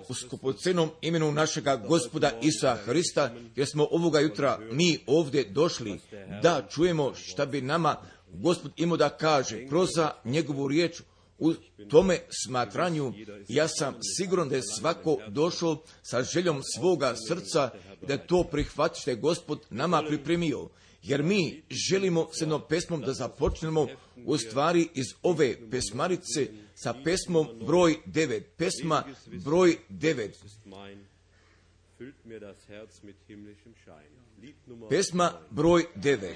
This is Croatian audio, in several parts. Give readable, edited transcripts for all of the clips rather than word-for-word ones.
U skupocenom imenu našega Gospoda Isusa Hrista, jer smo ovoga jutra mi ovdje došli da čujemo šta bi nama Gospod imao da kaže kroz njegovu riječ. U tome smatranju ja sam siguran da je svako došao sa željom svoga srca da to prihvati što je Gospod nama pripremio. Jer mi želimo s jednom pesmom da započnemo u stvari iz ove pesmarice sa pesmom broj 9. Pesma broj 9. Pesma broj 9.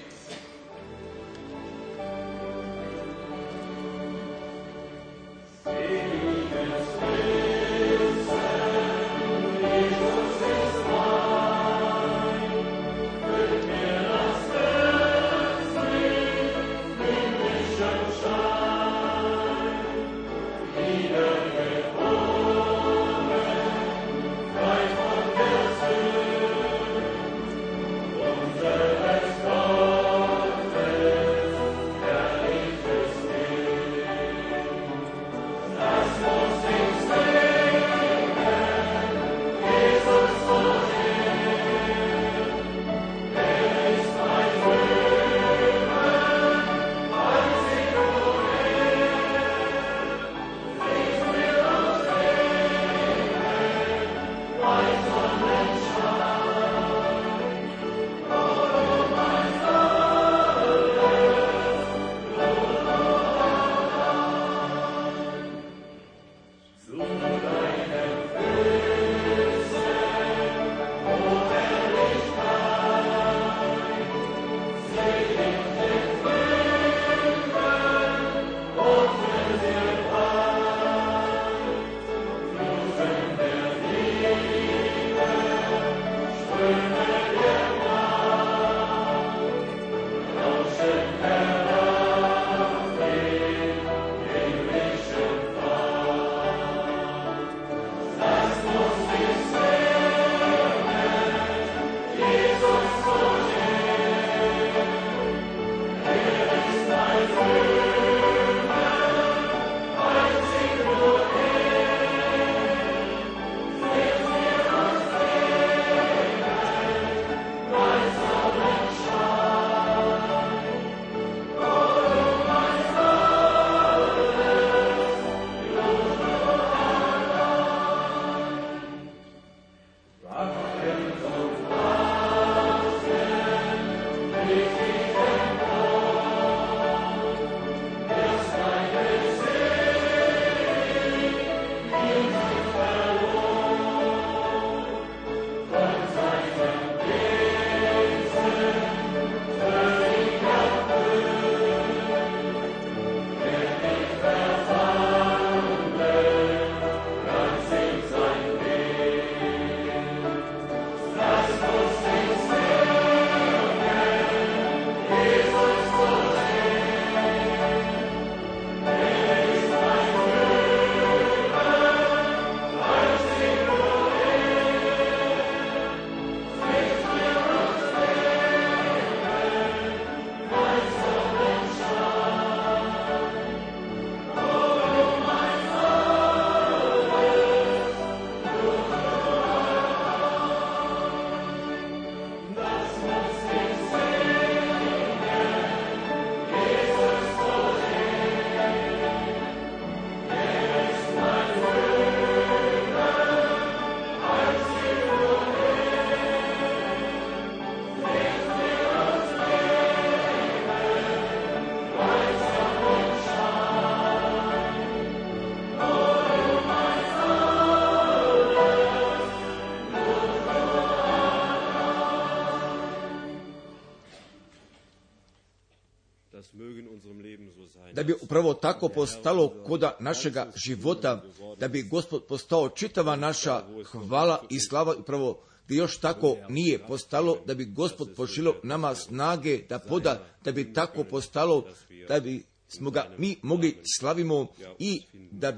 Da bi upravo tako postalo koda našega života, da bi Gospod postao čitava naša hvala i slava, upravo da još tako nije postalo, da bi Gospod pošilio nama snage da poda, da bi tako postalo, da bi smo ga mi mogli slavimo i da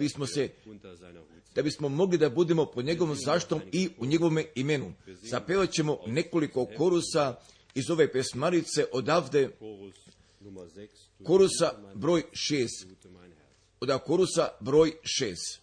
bismo mogli da budemo pod njegovom zaštitom i u njegovome imenu. Zapevat ćemo nekoliko korusa iz ove pesmarice odavde, korusa broj 6. od korusa broj 6.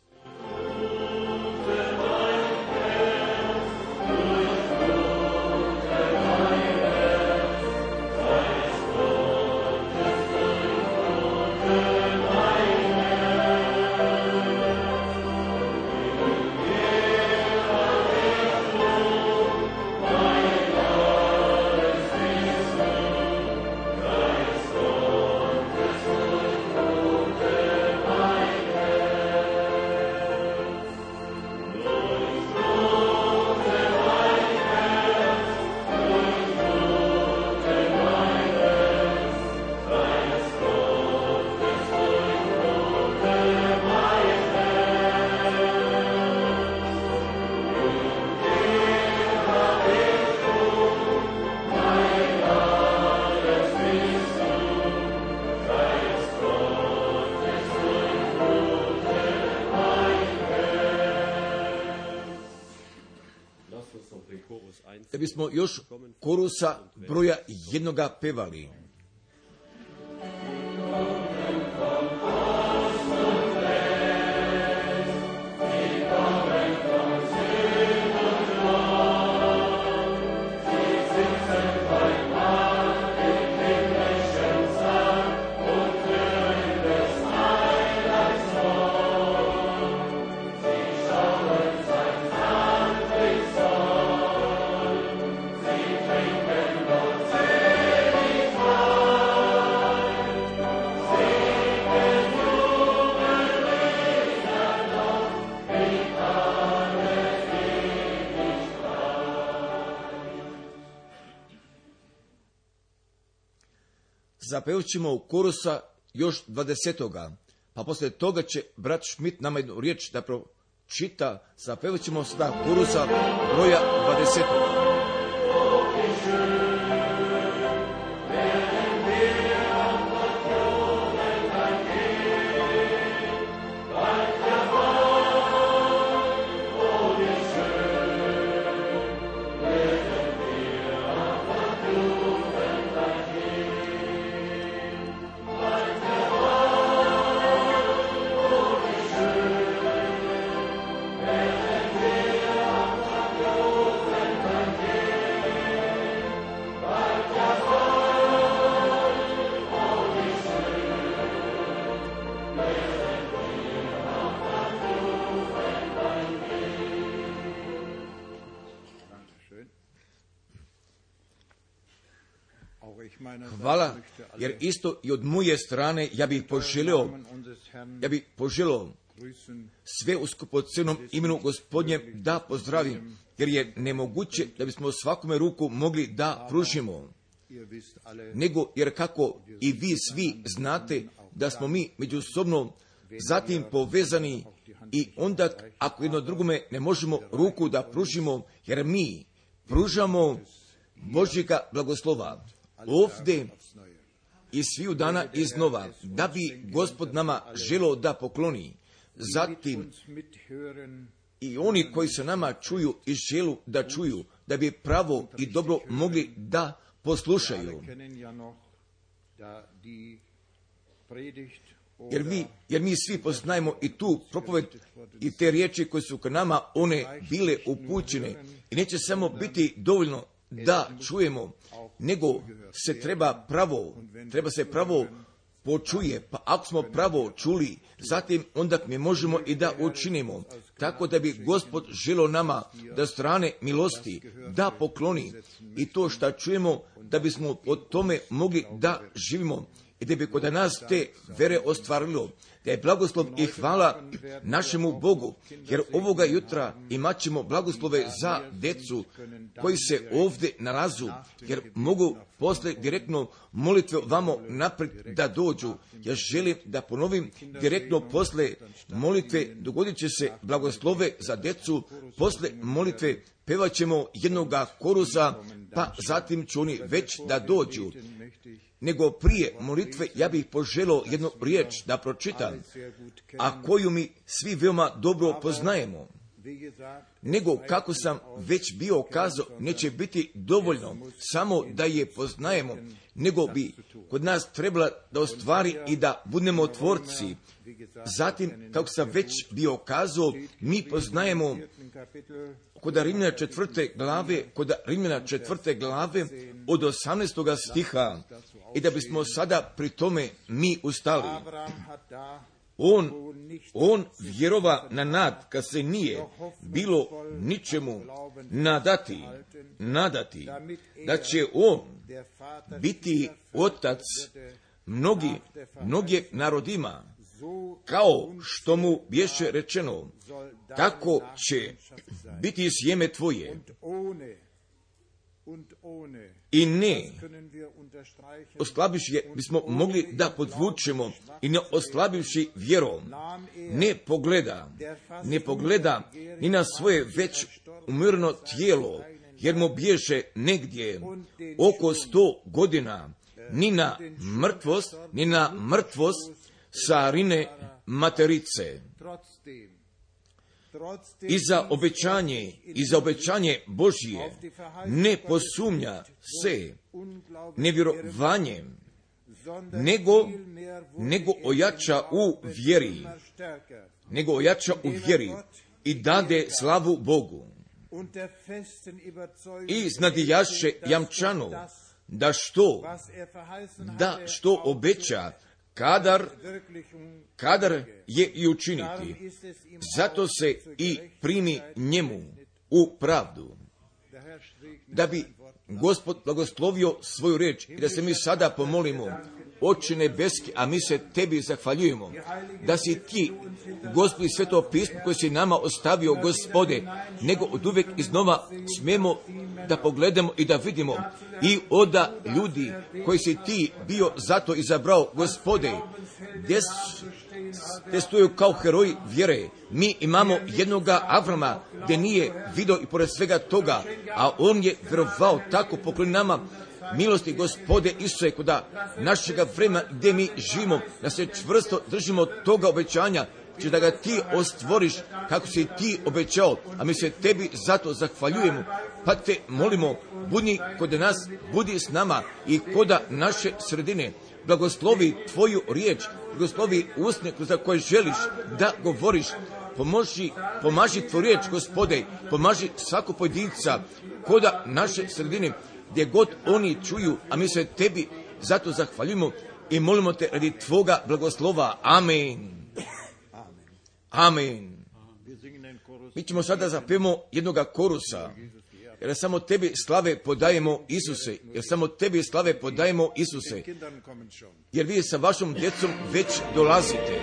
Da bismo još korusa broja 1 pevali. Zapevat ćemo korusa još 20. Pa poslije toga će brat Schmidt nama jednu riječ da pročita. Zapevat ćemo sada korusa broja 20. Hvala, jer isto i od moje strane ja bih poželio sve u skupocjenom imenu Gospodnjem da pozdravim, jer je nemoguće da bismo svakome ruku mogli da pružimo, nego jer kako i vi svi znate da smo mi međusobno zatim povezani i onda ako jedno drugome ne možemo ruku da pružimo, jer mi pružamo Božjega blagoslova ovdje i sviju dana iznova, da bi Gospod nama želio da pokloni. Zatim i oni koji se nama čuju i želu da čuju, da bi pravo i dobro mogli da poslušaju. Jer mi svi poznajemo i tu propoved i te riječi koje su k nama one bile upućene. I neće samo biti dovoljno da čujemo, nego se treba se pravo počuje. Pa ako smo pravo čuli, zatim onda mi možemo i da učinimo. Tako da bi Gospod želio nama da strane milosti da pokloni i to što čujemo, da bismo o tome mogli da živimo i da bi kod nas te vere ostvarilo. Da je blagoslov i hvala našemu Bogu, jer ovoga jutra imat ćemo blagoslove za djecu koji se ovdje nalazu, jer mogu posle direktno molitve vamo naprijed da dođu. Ja želim da ponovim, direktno posle molitve dogodit će se blagoslove za djecu, posle molitve pevat ćemo jednoga korusa, pa zatim će oni već da dođu. Nego prije molitve ja bih poželio jednu riječ da pročitam, a koju mi svi veoma dobro poznajemo. nego kako sam već bio kazao, neće biti dovoljno samo da je poznajemo, nego bi kod nas trebala da ostvari i da budemo tvorci. Zatim, kako sam već bio kazao, mi poznajemo kod Rimljana 4. glave od 18. stiha i da bismo sada pri tome mi ustali. On vjerova na nad, kad se nije bilo ničemu nadati, da će on biti otac mnogih narodima, kao što mu bješe rečeno, tako će biti sjeme tvoje. I ne oslabivši je, bismo mogli da podvučemo, i ne oslabivši vjerom, ne pogleda ni na svoje već umrlo tijelo, jer mu bježe negdje oko 100 godina, ni na mrtvost Sarine materice. I za obećanje Božje ne posumnja se nevjerovanjem, nego ojača u vjeri i dade slavu Bogu. I znadijaše jamčano da što obeća, kadar je i učiniti. Zato se i primi njemu u pravdu. Da bi Gospod blagoslovio svoju riječ i da se mi sada pomolimo, Oče nebeski, a mi se tebi zahvaljujemo, da si ti, Gospod, i sveto pismo koje si nama ostavio, Gospode, nego od uvijek iznova smemo da pogledamo i da vidimo i oda ljudi koji si ti bio zato izabrao, Gospode, gdje stoju kao heroji vjere. Mi imamo jednoga Avrama gdje nije vidio i pored svega toga, a on je vjerovao, tako pokloni nama milosti, Gospode Isuse, kod našega vremena gdje mi živimo, da se čvrsto držimo toga obećanja, će da ga ti ostvoriš kako si ti obećao, a mi se tebi zato zahvaljujemo, pa te molimo, budi kod nas, budi s nama i kod naše sredine. Blagoslovi tvoju riječ, blagoslovi usne za koje želiš da govoriš. Pomaži tvoju riječ, Gospode, pomaži svako pojedinca kod naše sredine, gdje god oni čuju, a mi se tebi zato zahvaljujemo i molimo te radi tvoga blagoslova. Amen. Amen. Mi ćemo sada zapjevamo jednoga korusa, jer samo tebi slave podajemo, Isuse, jer vi sa vašom djecom već dolazite.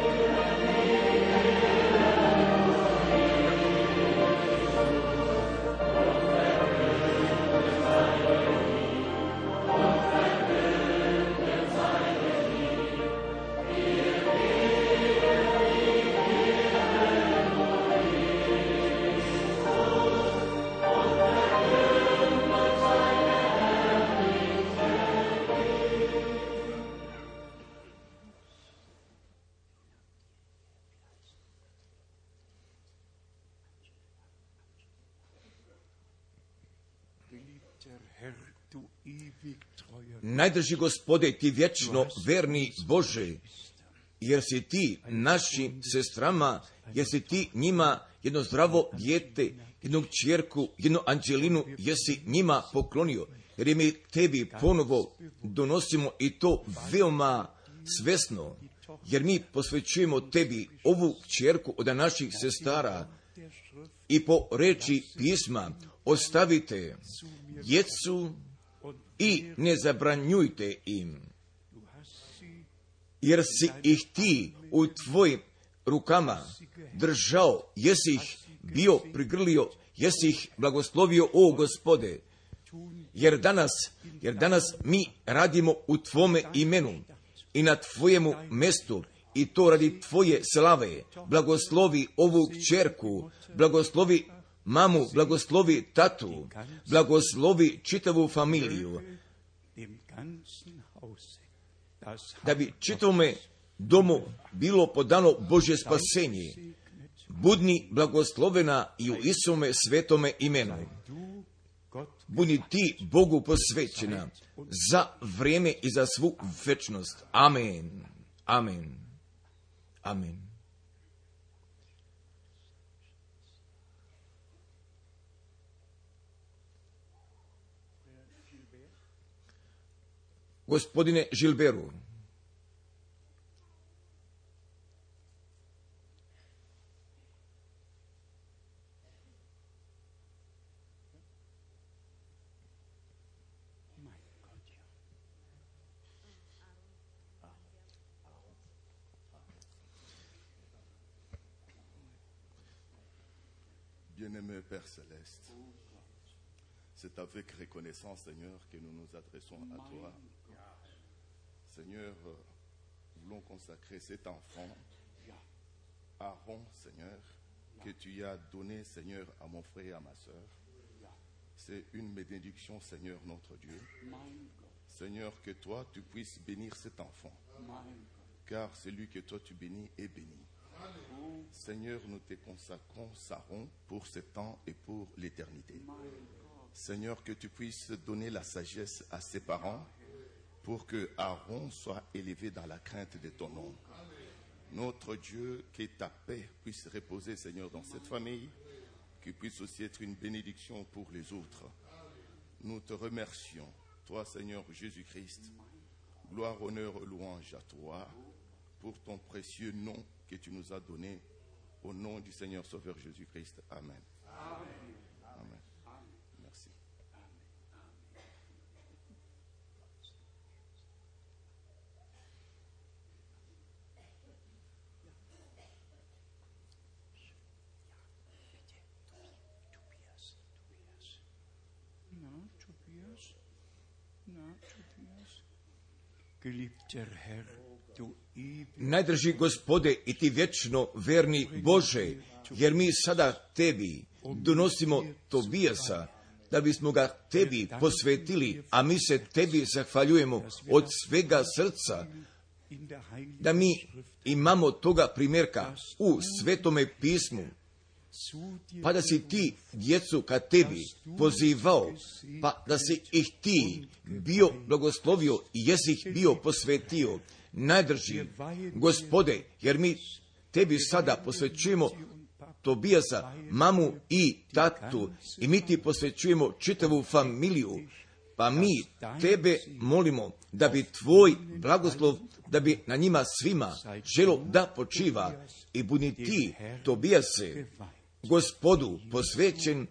Najdrži Gospode, ti vječno verni Bože, jer si ti našim sestrama, jer si ti njima jedno zdravo dijete, jednu kćerku, jednu Anđelinu, jesi njima poklonio, jer mi tebi ponovo donosimo i to veoma svesno, jer mi posvećujemo tebi ovu kćerku od naših sestara i po reči pisma ostavite djecu i ne zabranjujte im, jer si ih ti u tvojim rukama držao, jesi ih bio prigrlio, jesi ih blagoslovio, o Gospode, jer danas mi radimo u tvome imenu i na tvojemu mestu, i to radi tvoje slave. Blagoslovi ovu kćerku, blagoslovi mamu, blagoslovi tatu, blagoslovi čitavu familiju, da bi čitavome domu bilo podano Božje spasenje, budni blagoslovena i u Isome svetome imenu. Budi ti Bogu posvećena za vrijeme i za svu večnost. Amen. Amen. Amen. Gospodine Žilberu, Bien-aimé Père Céleste, c'est avec reconnaissance, Seigneur, que nous nous adressons à toi. Seigneur, voulons consacrer cet enfant, Aaron, Seigneur, que tu as donné, Seigneur, à mon frère et à ma soeur. C'est une bénédiction, Seigneur, notre Dieu. Seigneur, que toi, tu puisses bénir cet enfant, car celui que toi tu bénis est béni. Seigneur, nous te consacrons Aaron pour ce temps et pour l'éternité. Seigneur, que tu puisses donner la sagesse à ses parents pour que Aaron soit élevé dans la crainte de ton nom. Notre Dieu, que ta paix puisse reposer, Seigneur, dans cette famille, qui puisse aussi être une bénédiction pour les autres. Nous te remercions, toi, Seigneur Jésus-Christ. Gloire, honneur, louange à toi pour ton précieux nom que tu nous as donné. Au nom du Seigneur Sauveur Jésus-Christ. Amen. Amen. Amen. Merci. Geliebter Herr, du najdrži Gospode i ti vječno verni Bože, jer mi sada tebi donosimo Tobijasa, da bismo ga tebi posvetili, a mi se tebi zahvaljujemo od svega srca, da mi imamo toga primjerka u Svetome pismu, pa da si ti djecu ka tebi pozivao, pa da si ih ti bio blagoslovio i jesi ih bio posvetio. Najdrži Gospode, jer mi tebi sada posvećujemo Tobijasa, mamu i tatu, i mi ti posvećujemo čitavu familiju, pa mi tebe molimo da bi tvoj blagoslov, da bi na njima svima želo da počiva, i budi ti Tobijase Gospodu posvećen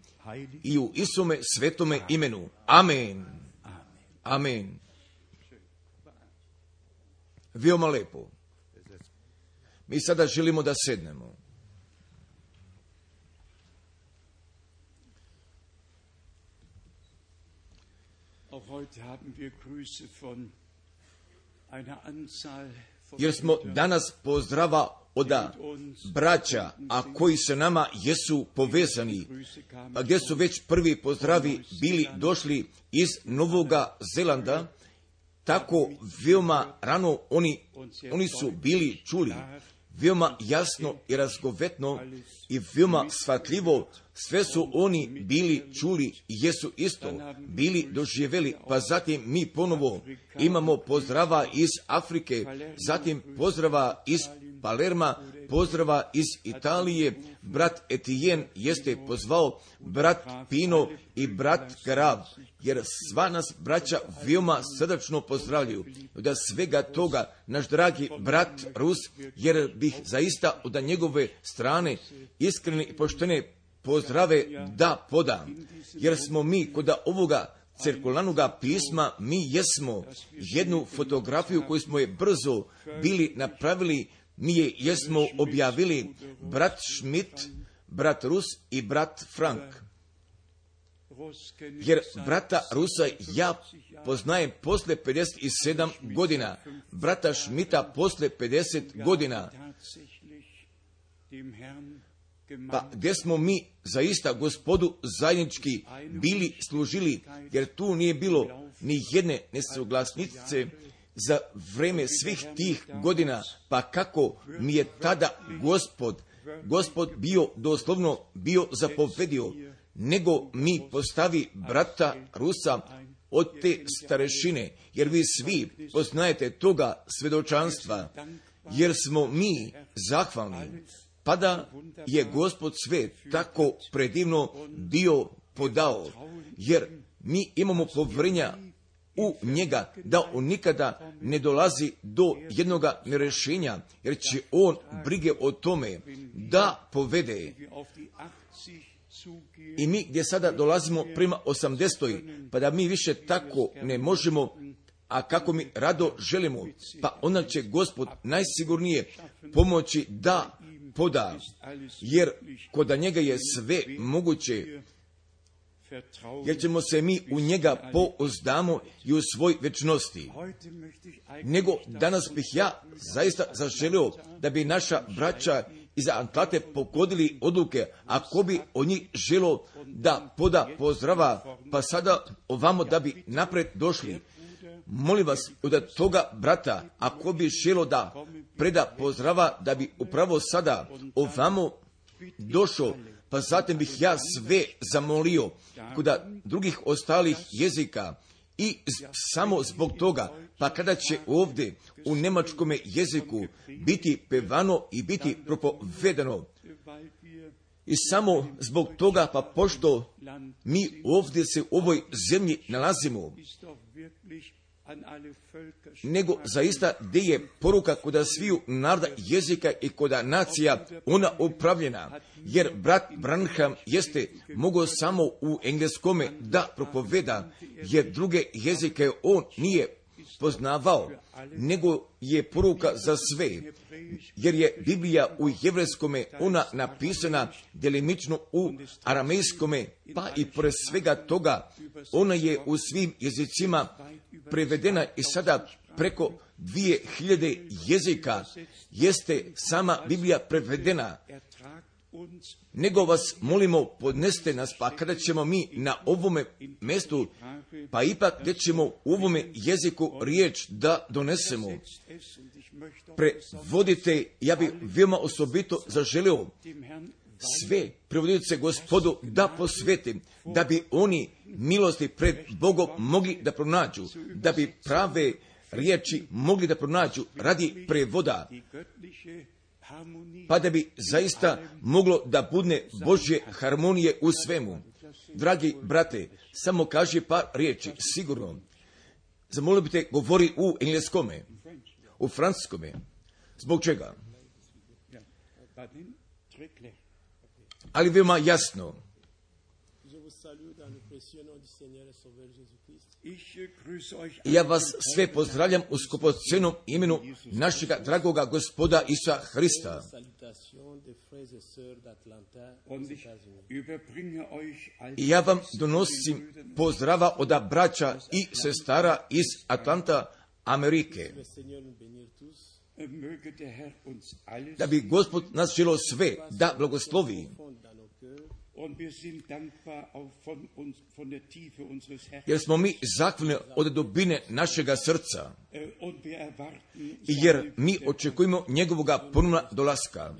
i u Isome svetome imenu. Amen. Amen. Veoma lepo. Mi sada želimo da sednemo. auch heute haben wir Grüße von einer Anzahl von Jer smo danas pozdrava od braća, a koji se nama jesu povezani, a gdje su već prvi pozdravi bili došli iz Novoga Zelanda, tako veoma rano oni su bili čuli, veoma jasno i razgovetno i veoma shvatljivo, sve su oni bili čuli i jesu isto bili doživjeli, pa zatim mi ponovo imamo pozdrava iz Afrike, zatim pozdrava iz Palerma, pozdrava iz Italije, brat Etijen jeste pozvao, brat Pino i brat Karav, jer sva nas braća veoma srdačno pozdravljaju. Da svega toga naš dragi brat Rus, jer bih zaista od njegove strane iskrene i poštene pozdrave da podam, jer smo mi kod ovoga cirkulanoga pisma, mi jesmo jednu fotografiju koju smo je brzo bili napravili, mi je jesmo objavili, brat Schmidt, brat Rus i brat Frank. Jer brata Rusa ja poznajem posle 57 godina, brata Schmidta posle 50 godina. Pa gdje smo mi zaista Gospodu zajednički bili služili, jer tu nije bilo ni jedne nesuglasnice za vreme svih tih godina, pa kako mi je tada Gospod Gospod bio zapovedio, nego mi postavi brata Rusa od te starešine, jer vi svi poznajete toga svjedočanstva, jer smo mi zahvalni, pa da je Gospod sve tako predivno bio podao, jer mi imamo povjerenja u njega, da on nikada ne dolazi do jednoga nerešenja, jer će on brige o tome da povede. I mi gdje sada dolazimo prema 80. pa da mi više tako ne možemo, a kako mi rado želimo, pa onda će Gospod najsigurnije pomoći da poda, jer kod njega je sve moguće, jer ćemo se mi u njega pouzdamo i u svoj večnosti. Nego danas bih ja zaista zaželio da bi naša braća iz Atlante pogodili odluke, ako bi o njih želo da poda pozdrava, pa sada ovamo da bi napred došli. Molim vas od toga brata, ako bi želo da preda pozdrava, da bi upravo sada ovamo došao, pa zatim bih ja sve zamolio kod drugih ostalih jezika i samo zbog toga, pa kada će ovdje u njemačkom jeziku biti pevano i biti propovedano. I samo zbog toga, pa pošto mi ovdje se u ovoj zemlji nalazimo, nego zaista gdje je poruka kod sviju naroda, jezika i kod nacija ona upravljena, jer brat Branham jeste mogao samo u engleskome da propoveda, jer druge jezike on nije poznavao, nego je poruka za sve, jer je Biblija u jevrejskome ona napisana delimično u aramejskome, pa i pored svega toga ona je u svim jezicima prevedena i sada preko 2000 jezika jeste sama Biblija prevedena. Nego vas molimo, podneste nas, pa kada ćemo mi na ovome mjestu, pa ipak gdje ćemo u ovome jeziku riječ da donesemo. Prevodite, ja bi veoma osobito zaželio sve prevodioce Gospodu da posvetim, da bi oni milosti pred Bogom mogli da pronađu, da bi prave riječi mogli da pronađu radi prevoda, pa da bi zaista moglo da budne Božje harmonije u svemu. Dragi brate, samo kaži par riječi, sigurno. Zamolio bi te, govori u engleskome, u francuskome. Zbog čega? Ali veoma jasno. Ja vas sve pozdravljam u skupocenom imenu našega dragoga Gospoda Isusa Hrista. I ja vam donosim pozdrava od braća i sestara iz Atlanta, Amerike. Da bi Gospod nas želio sve da blagoslovi. Jer smo mi zahvalni od dubine našega srca. Jer mi očekujemo njegovoga ponovna dolaska.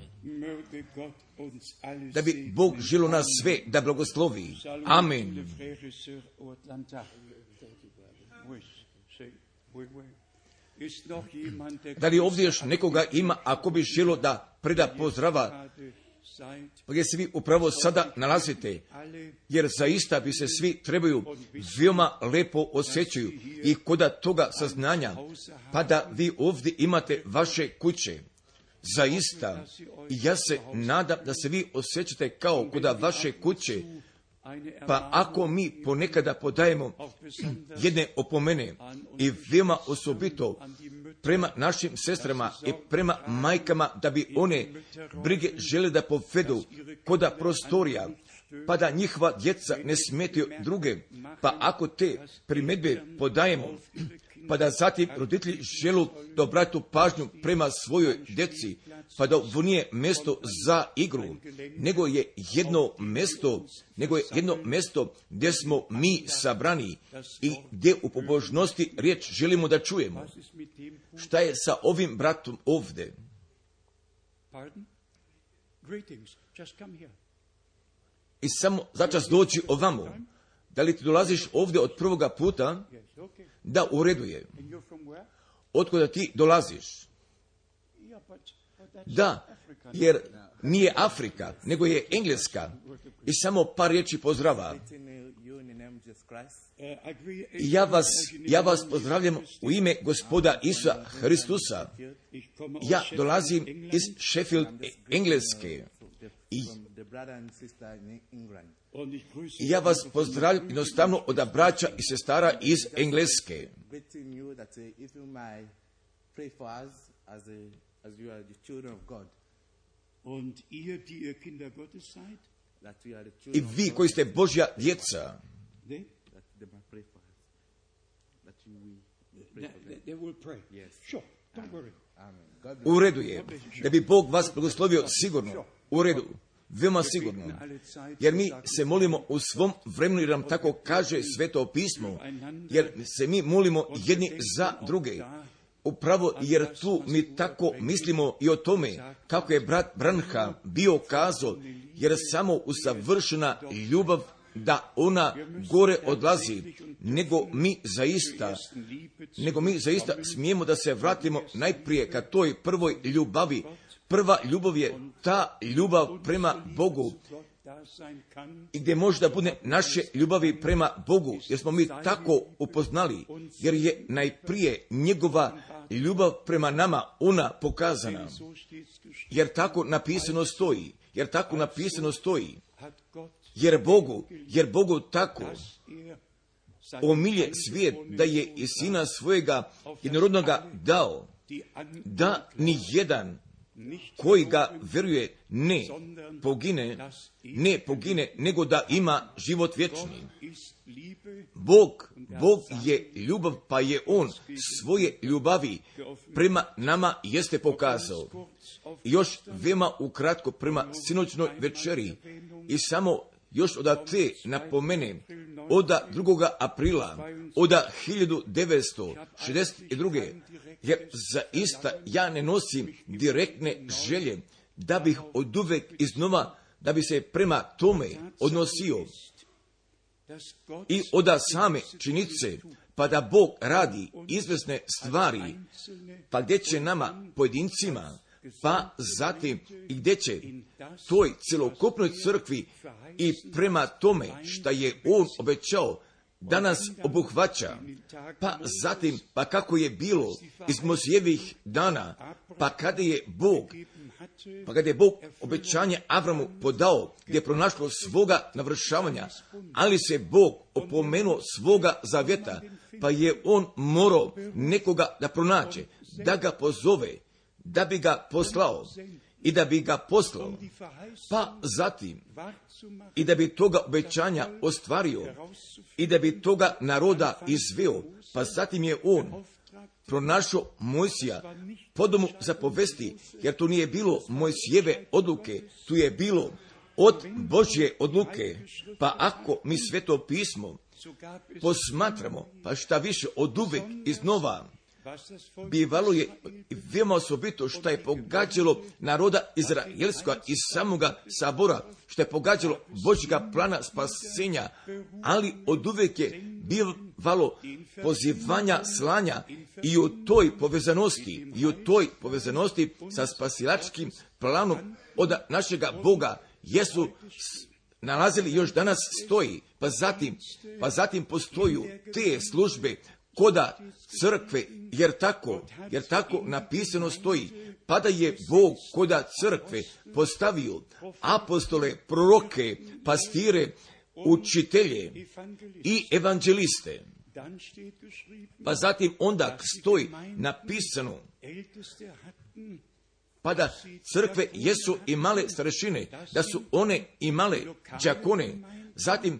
Da bi Bog želio nas sve da blagoslovi. Amen. Da li ovdje još nekoga ima, ako bi želio da preda pozdrava, pa gdje se vi upravo sada nalazite, jer zaista bi se svi trebaju veoma lepo osjećaju i kod toga saznanja, pa da vi ovdje imate vaše kuće. Zaista, ja se nadam da se vi osjećate kao kod vaše kuće, pa ako mi ponekada podajemo jedne opomene i veoma osobito prema našim sestrama i prema majkama, da bi one brige žele da povedu koda prostorija, pa da njihova djeca ne smetaju druge, pa ako te primjedbe podajemo, pa da zatim roditelji želu da obratu pažnju prema svojoj djeci, pa da ovo nije mjesto za igru, nego je jedno mjesto gdje smo mi sabrani i gdje u pobožnosti riječ želimo da čujemo. Šta je sa ovim bratom ovdje? Greetings. Just come here. I samo začas doći ovamo. Da li ti dolaziš ovdje od prvoga puta? Yes, okay. Da, u redu je. And you're from where? Otkuda ti dolaziš? Yeah, but that's Da, Africa. jer nije Afrika, nego je Engleska. I samo par riječi pozdrava. Ja vas pozdravljam u ime Gospoda Isusa Hristusa. Ja dolazim iz Sheffield, Engleske. I ja vas pozdravljam jednostavno od braća i sestara iz Engleske. I vi koji ste Božja djeca, u redu je, da bi Bog vas blagoslovio sigurno, u redu, veoma sigurno, jer mi se molimo u svom vremenu, jer nam tako kaže Sveto pismo, jer se mi molimo jedni za druge. Upravo jer tu mi tako mislimo i o tome kako je brat Branham bio kazao, jer samo usavršena ljubav da ona gore odlazi, nego mi zaista smijemo da se vratimo najprije ka toj prvoj ljubavi. Prva ljubav je ta ljubav prema Bogu, i gdje možda bude naše ljubavi prema Bogu, jer smo mi tako upoznali, jer je najprije njegova ljubav prema nama ona pokazana, jer tako napisano stoji, jer Bogu tako omilje svijet da je i sina svojega jednorodnoga dao, da ni jedan koji ga vjeruje ne pogine, nego da ima život vječni. Bog je ljubav, pa je on svoje ljubavi prema nama jeste pokazao. I još veoma ukratko prema sinoćnoj večeri, i samo još od te napomene, od 2. aprila, od 1962. Jer zaista ja ne nosim direktne želje da bih oduvek iznova, da bi se prema tome odnosio i od same činjenice, pa da Bog radi izvesne stvari, pa gdje će nama pojedincima, pa zatim i gdje će toj celokupnoj crkvi i prema tome šta je on obećao da nas obuhvaća, pa zatim, pa kako je bilo iz Mojsijevih dana, pa kada je Bog obećanje Avramu podao, gdje je pronašlo svoga navršavanja, ali se Bog opomenuo svoga zavjeta, pa je on morao nekoga da pronađe, da ga pozove, da bi ga poslao i da bi ga poslao, pa zatim i da bi toga obećanja ostvario i da bi toga naroda izveo, pa zatim je on pronašao Mojsija po domu za povesti, jer tu nije bilo Mojsijeve odluke, tu je bilo od Božje odluke. Pa ako mi Sveto pismo posmatramo, pa šta više od uvek iznova, bivalo je veoma osobito što je pogađalo naroda izraelskoga iz samoga sabora, što je pogađalo Božjega plana spasenja, ali od uvek je bivalo pozivanja, slanja i u toj povezanosti sa spasilačkim planom od našega Boga jesu nalazili još danas stoji, pa zatim postoju te službe koda crkve, jer tako napisano stoji, pa da je Bog koda crkve postavio apostole, proroke, pastire, učitelje i evanđeliste. Pa zatim onda stoji napisano, pa da crkve jesu imale starešine, da su one imale đakone, zatim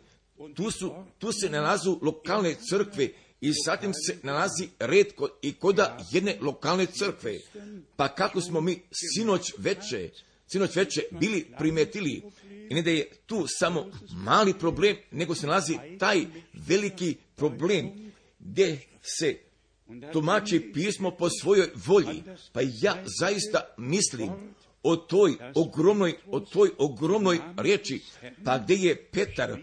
tu se nalazu lokalne crkve, i zatim se nalazi red i koda jedne lokalne crkve. Pa kako smo mi sinoć veče bili primetili, i ne da je tu samo mali problem, nego se nalazi taj veliki problem gdje se tumači pismo po svojoj volji. Pa ja zaista mislim o toj ogromnoj riječi, pa gdje je Petar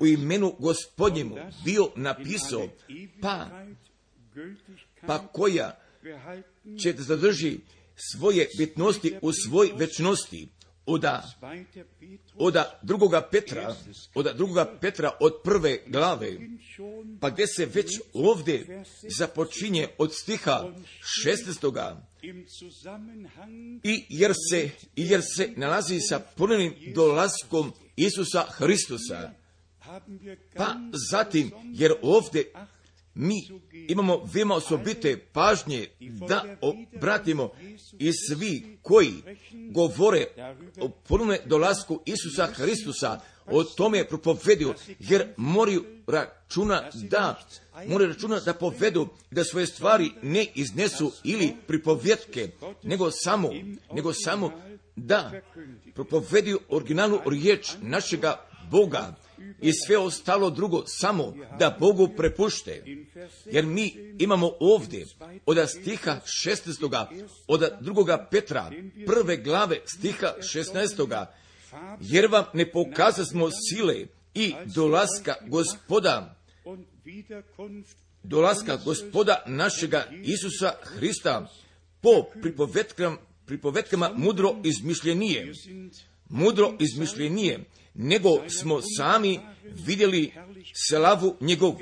u imenu Gospodnjemu bio napisao, pa koja će da zadrži svoje bitnosti u svoj večnosti, od drugoga Petra od prve glave, pa gdje se već ovdje započinje od stiha 16. I jer se nalazi sa ponovnim dolaskom Isusa Hristusa, pa zatim, jer ovdje mi imamo veoma osobite pažnje da obratimo i svi koji govore o ponovnom dolasku Isusa Hristusa, o tome propovedu, jer moraju računa da povedu, da svoje stvari ne iznesu ili pripovjetke, nego samo da propovedu originalnu riječ našega Boga i sve ostalo drugo samo da Bogu prepušte. Jer mi imamo ovdje od stiha 16. od drugoga Petra prve glave stiha 16. Jer vam ne pokazasmo sile i dolaska gospoda našega Isusa Hrista po pripovetkama mudro izmišljenije, nego smo sami vidjeli slavu njegovu.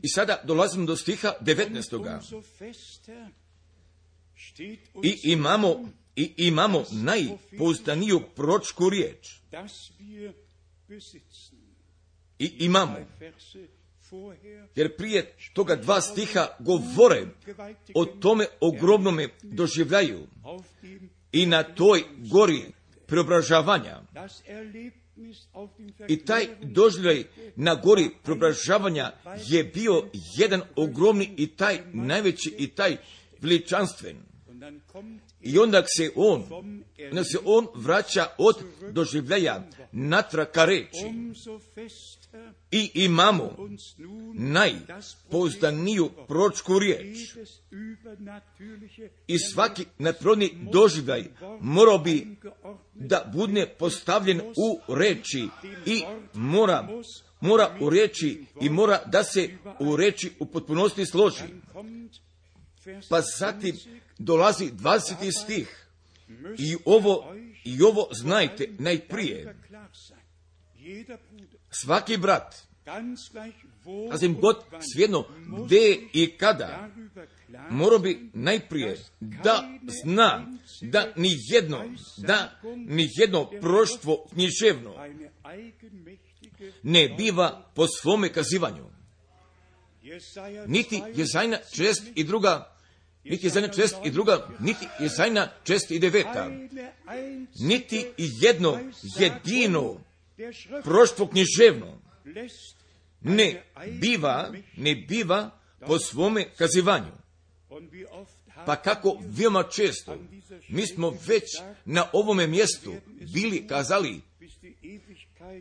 I sada dolazimo do stiha 19. I imamo najpouzdaniju proročku riječ. Jer prije toga dva stiha govore o tome ogromnome doživljaju i na toj gori preobražavanja. I taj doživljaj na gori preobražavanja je bio jedan ogromni i taj najveći i taj veličanstven. I onda se on vraća od doživljaja natrag ka reči. I imamo najpouzdaniju proročku riječ. I svaki nadprirodni doživljaj morao bi da bude postavljen u reči i mora u reči i mora da se u reči u potpunosti složi. Pa zatim dolazi 20. stih i ovo znajte najprije. Svaki brat, sasvim god svejedno gdje i kada, mora bi najprije da zna da ni jedno proroštvo književno ne biva po svome kazivanju. Niti Jezajna 62, niti Jezajna 49, niti jedno jedino proroštvo književno ne biva po svome kazivanju. Pa kako veoma često mi smo već na ovome mjestu bili kazali,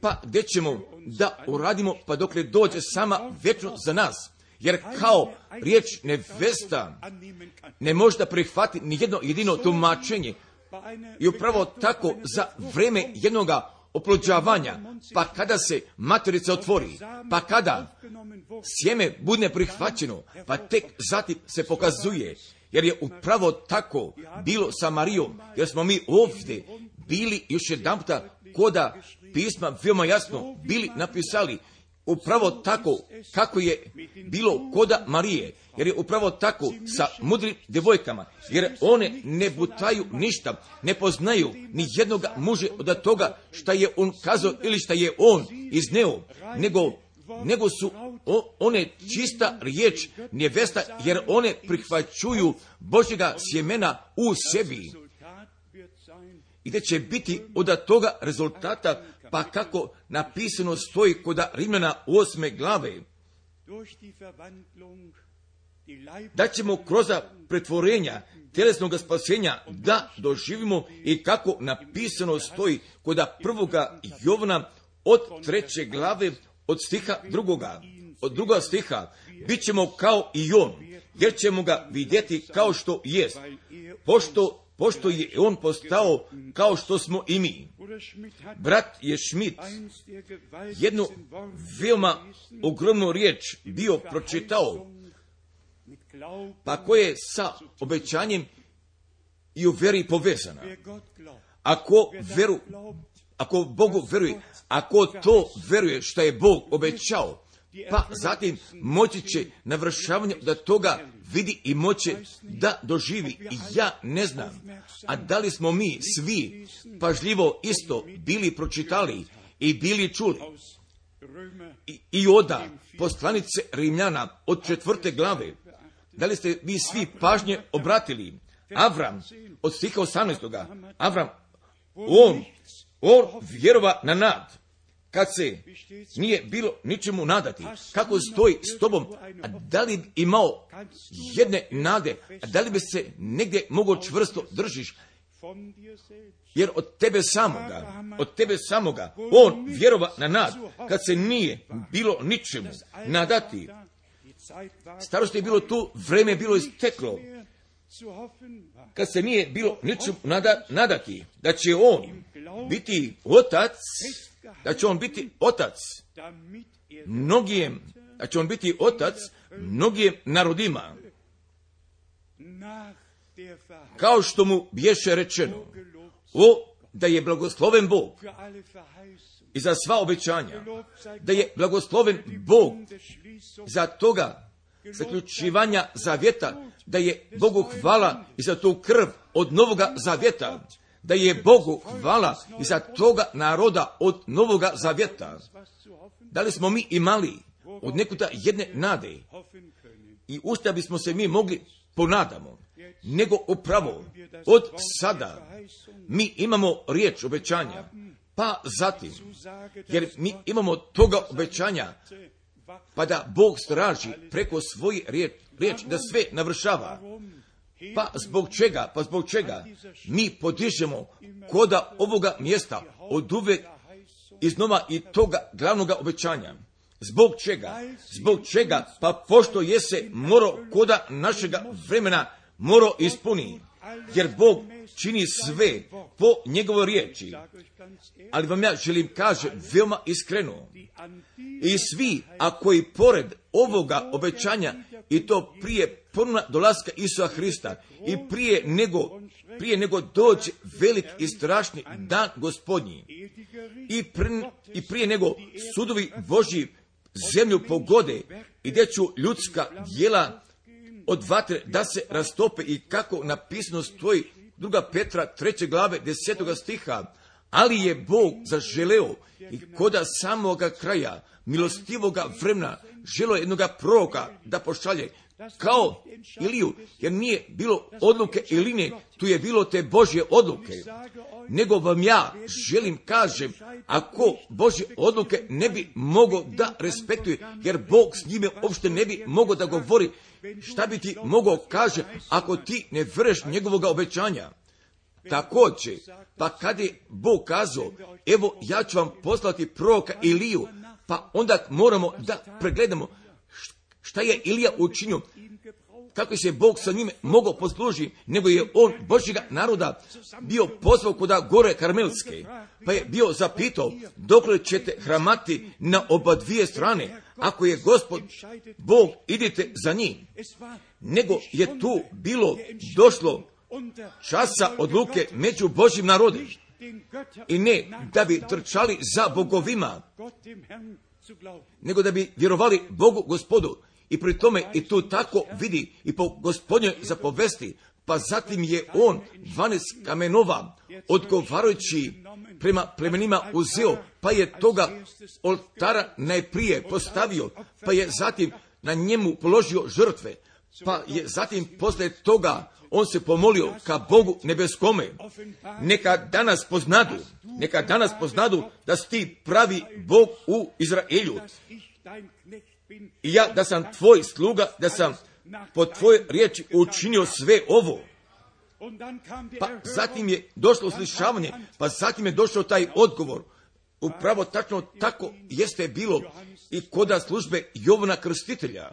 pa gdje ćemo da uradimo pa dokle dođe sama vječno za nas. Jer kao riječ nevesta ne može da prihvati ni jedno jedino tumačenje. I upravo tako za vreme jednoga oplođavanja, pa kada se materica otvori, pa kada sjeme bude prihvaćeno, pa tek zatim se pokazuje, jer je upravo tako bilo sa Marijom, jer smo mi ovdje bili još jedanputa koda pisma veoma jasno bili napisali, upravo tako kako je bilo koda Marije, jer je upravo tako sa mudrim djevojkama, jer one ne butaju ništa, ne poznaju ni jednoga muža od toga šta je on kazao ili šta je on izneo, nego su one čista riječ nevesta, jer one prihvaćuju Božjega sjemena u sebi. I da će biti od toga rezultata, pa kako napisano stoji kod Rimljana 8. glave, da ćemo kroz pretvorenja tjelesnog spasenja da doživimo i kako napisano stoji kod 1. Jovana od 3. glave od stiha 2. od 2. stiha, bit ćemo kao i on, jer ćemo ga vidjeti kao što jest, pošto je on postao kao što smo i mi. Brat je Schmidt jednu veoma ogromnu riječ bio pročitao, pa koje je sa obećanjem i u veri povezana. Ako Bogu veruje, ako to veruje što je Bog obećao, pa zatim moći će navršavanje da toga vidi i moće da doživi. I ja ne znam, a da li smo mi svi pažljivo isto bili pročitali i bili čuli. I oda poslanice Rimljana od 4. glave, da li ste vi svi pažnje obratili? Avram, od stiha 18. Avram, on vjerova na nad, kad se nije bilo ničemu nadati. Kako stoji s tobom? A da li bi imao jedne nade? A da li bi se negdje mogao čvrsto držiš? Jer od tebe samoga, on vjerova na nad, kad se nije bilo ničemu nadati. Starost je bilo tu, vreme je bilo isteklo. Kad se nije bilo ničemu nadati, da će on biti otac, mnogim narodima, kao što mu biješe rečeno, da je blagosloven Bog i za sva obećanja, da je blagosloven Bog za toga zaključivanja zavjeta, da je Bogu hvala i za tu krv od Novoga zavjeta, da je Bogu hvala i za toga naroda od Novoga zavjeta. Da li smo mi imali od nekuda jedne nade i u šta bismo se mi mogli ponadamo, nego upravo od sada mi imamo riječ obećanja, pa zatim, jer mi imamo toga obećanja, pa da Bog straži preko svoje riječi da sve navršava. Pa zbog čega mi podižemo koda ovoga mjesta od uvek iznova i toga glavnoga obećanja? Zbog čega? Pa pošto je se moro koda našega vremena moro ispuni, jer Bog čini sve po njegovoj riječi. Ali vam ja želim kaže veoma iskreno, i svi, a koji pored ovoga obećanja, i to prije ponovna dolaska Isusa Hrista i prije nego dođe velik i strašni dan Gospodnji, i prije nego sudovi Božji zemlju pogode i gdje ću ljudska djela od vatre da se rastope, i kako napisano stoji 2. Petra 3. glave 10. stiha, ali je Bog zaželeo i koda samoga kraja milostivoga vremena želo jednoga proroka da pošalje, kao Iliju, jer nije bilo odluke Iline, tu je bilo te Božje odluke. Nego vam ja želim kažem, ako Božje odluke ne bi mogao da respektuje, jer Bog s njime uopšte ne bi mogao da govori, šta bi ti mogao kaže ako ti ne vreš njegovoga obećanja? Također, pa kad je Bog kazao, evo ja ću vam poslati proroka Iliju, pa onda moramo da pregledamo šta je Ilija učinio, kako se Bog sa njime mogao poslužiti, nego je on Božjega naroda bio pozvao kuda gore Karmelske, pa je bio zapitao, dokle ćete hramati na oba dvije strane, ako je Gospod Bog, idite za njim. Nego je tu došlo časa odluke među Božjim narodom, i ne da bi trčali za bogovima, nego da bi vjerovali Bogu Gospodu. I pri tome i tu tako vidi i po Gospodnjoj zapovesti, pa zatim je on 12 kamenova odgovarajući prema plemenima uzeo, pa je toga oltara najprije postavio, pa je zatim na njemu položio žrtve, pa je zatim posle toga on se pomolio ka Bogu nebeskome. Neka danas poznadu da si ti pravi Bog u Izraelju. I ja da sam tvoj sluga, da sam po tvojoj riječi učinio sve ovo. Pa zatim je došlo uslišavanje, pa zatim je došao taj odgovor. Upravo tačno tako jeste bilo i kod službe Jovana Krstitelja.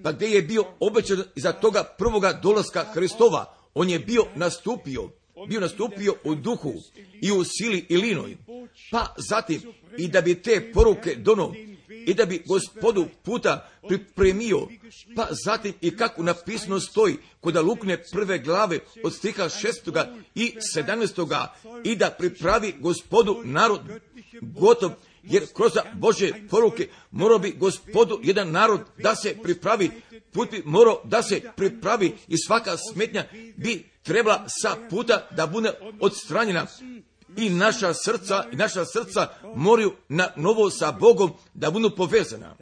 Pa gdje je bio obećan iza toga prvoga dolaska Hristova, on je bio nastupio u duhu i u sili i linoj. Pa zatim i da bi te poruke dono i da bi Gospodu puta pripremio, pa zatim i kako napisano stoji kod Lukine 1. glave od stiha 6. i 17. i da pripravi Gospodu narod gotov, jer kroz Božje poruke morao bi Gospodu jedan narod da se pripravi, put bi morao da se pripravi i svaka smetnja bi trebala sa puta da bude odstranjena. I naša srca moraju na novo sa Bogom da budu povezana.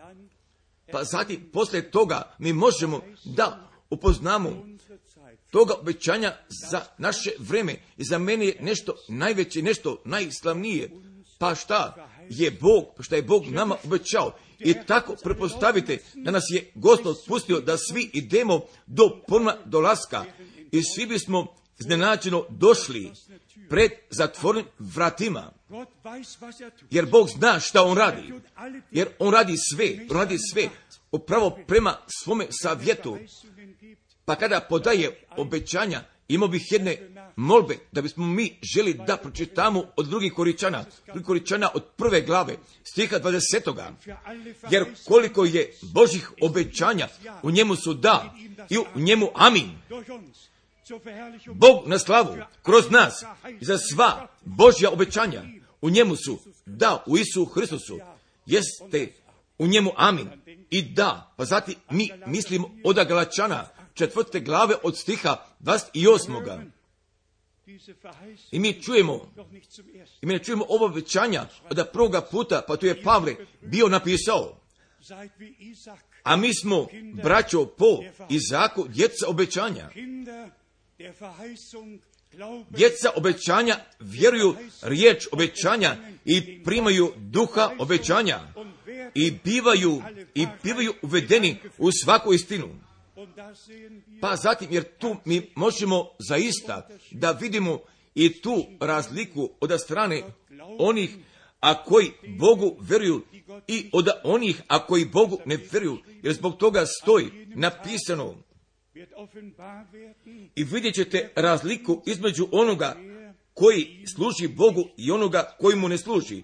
Pa zatim, poslije toga, mi možemo da upoznamo toga obećanja za naše vreme. I za mene je nešto najveće, nešto najslavnije. Pa šta je Bog nama obećao. I tako prepostavite da nas je Gospod pustio da svi idemo do ponovnog dolaska. I svi bismo iznenađeno došli pred zatvorenim vratima. Jer Bog zna šta on radi. Jer on radi sve upravo prema svome savjetu. Pa kada podaje obećanja, imao bih jedne molbe da bismo mi želi da pročitamo od drugih Koričana od 1. glave, stiha 20. Jer koliko je Božih obećanja, u njemu su da i u njemu amin. Bog na slavu, kroz nas, za sva Božja obećanja, u njemu su, da, u Isu Hristusu, jeste u njemu amin i da. Pa zatim mi mislimo od Galačana 4. glave od stiha 28. I mi čujemo ovo obećanja od prvoga puta, pa tu je Pavle bio napisao. A mi smo, braćo, po Izaku, djeca obećanja. Djeca obećanja vjeruju riječ obećanja i primaju duha obećanja i bivaju uvedeni u svaku istinu. Pa zatim, jer tu mi možemo zaista da vidimo i tu razliku od strane onih a koji Bogu vjeruju i od onih a koji Bogu ne vjeruju, jer zbog toga stoji napisano. I vidjet ćete razliku između onoga koji služi Bogu i onoga koji mu ne služi.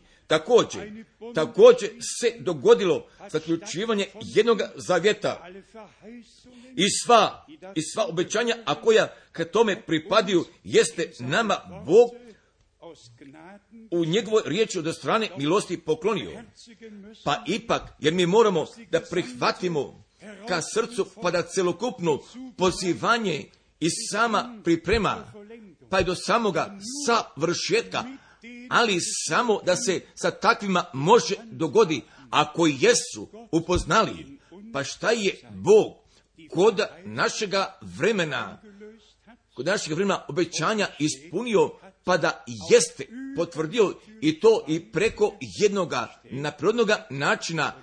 Također se dogodilo zaključivanje jednog zavjeta i sva obećanja, a koja ka tome pripadaju, jeste nama Bog u njegovoj riječi od strane milosti poklonio. Pa ipak, jer mi moramo da prihvatimo ka srcu, pa da celokupno pozivanje i sama priprema, pa i do samoga savršetka, ali samo da se sa takvima može dogodi, ako jesu upoznali, pa šta je Bog kod našega vremena obećanja ispunio, pa da jeste potvrdio i to i preko jednoga naprirodnoga načina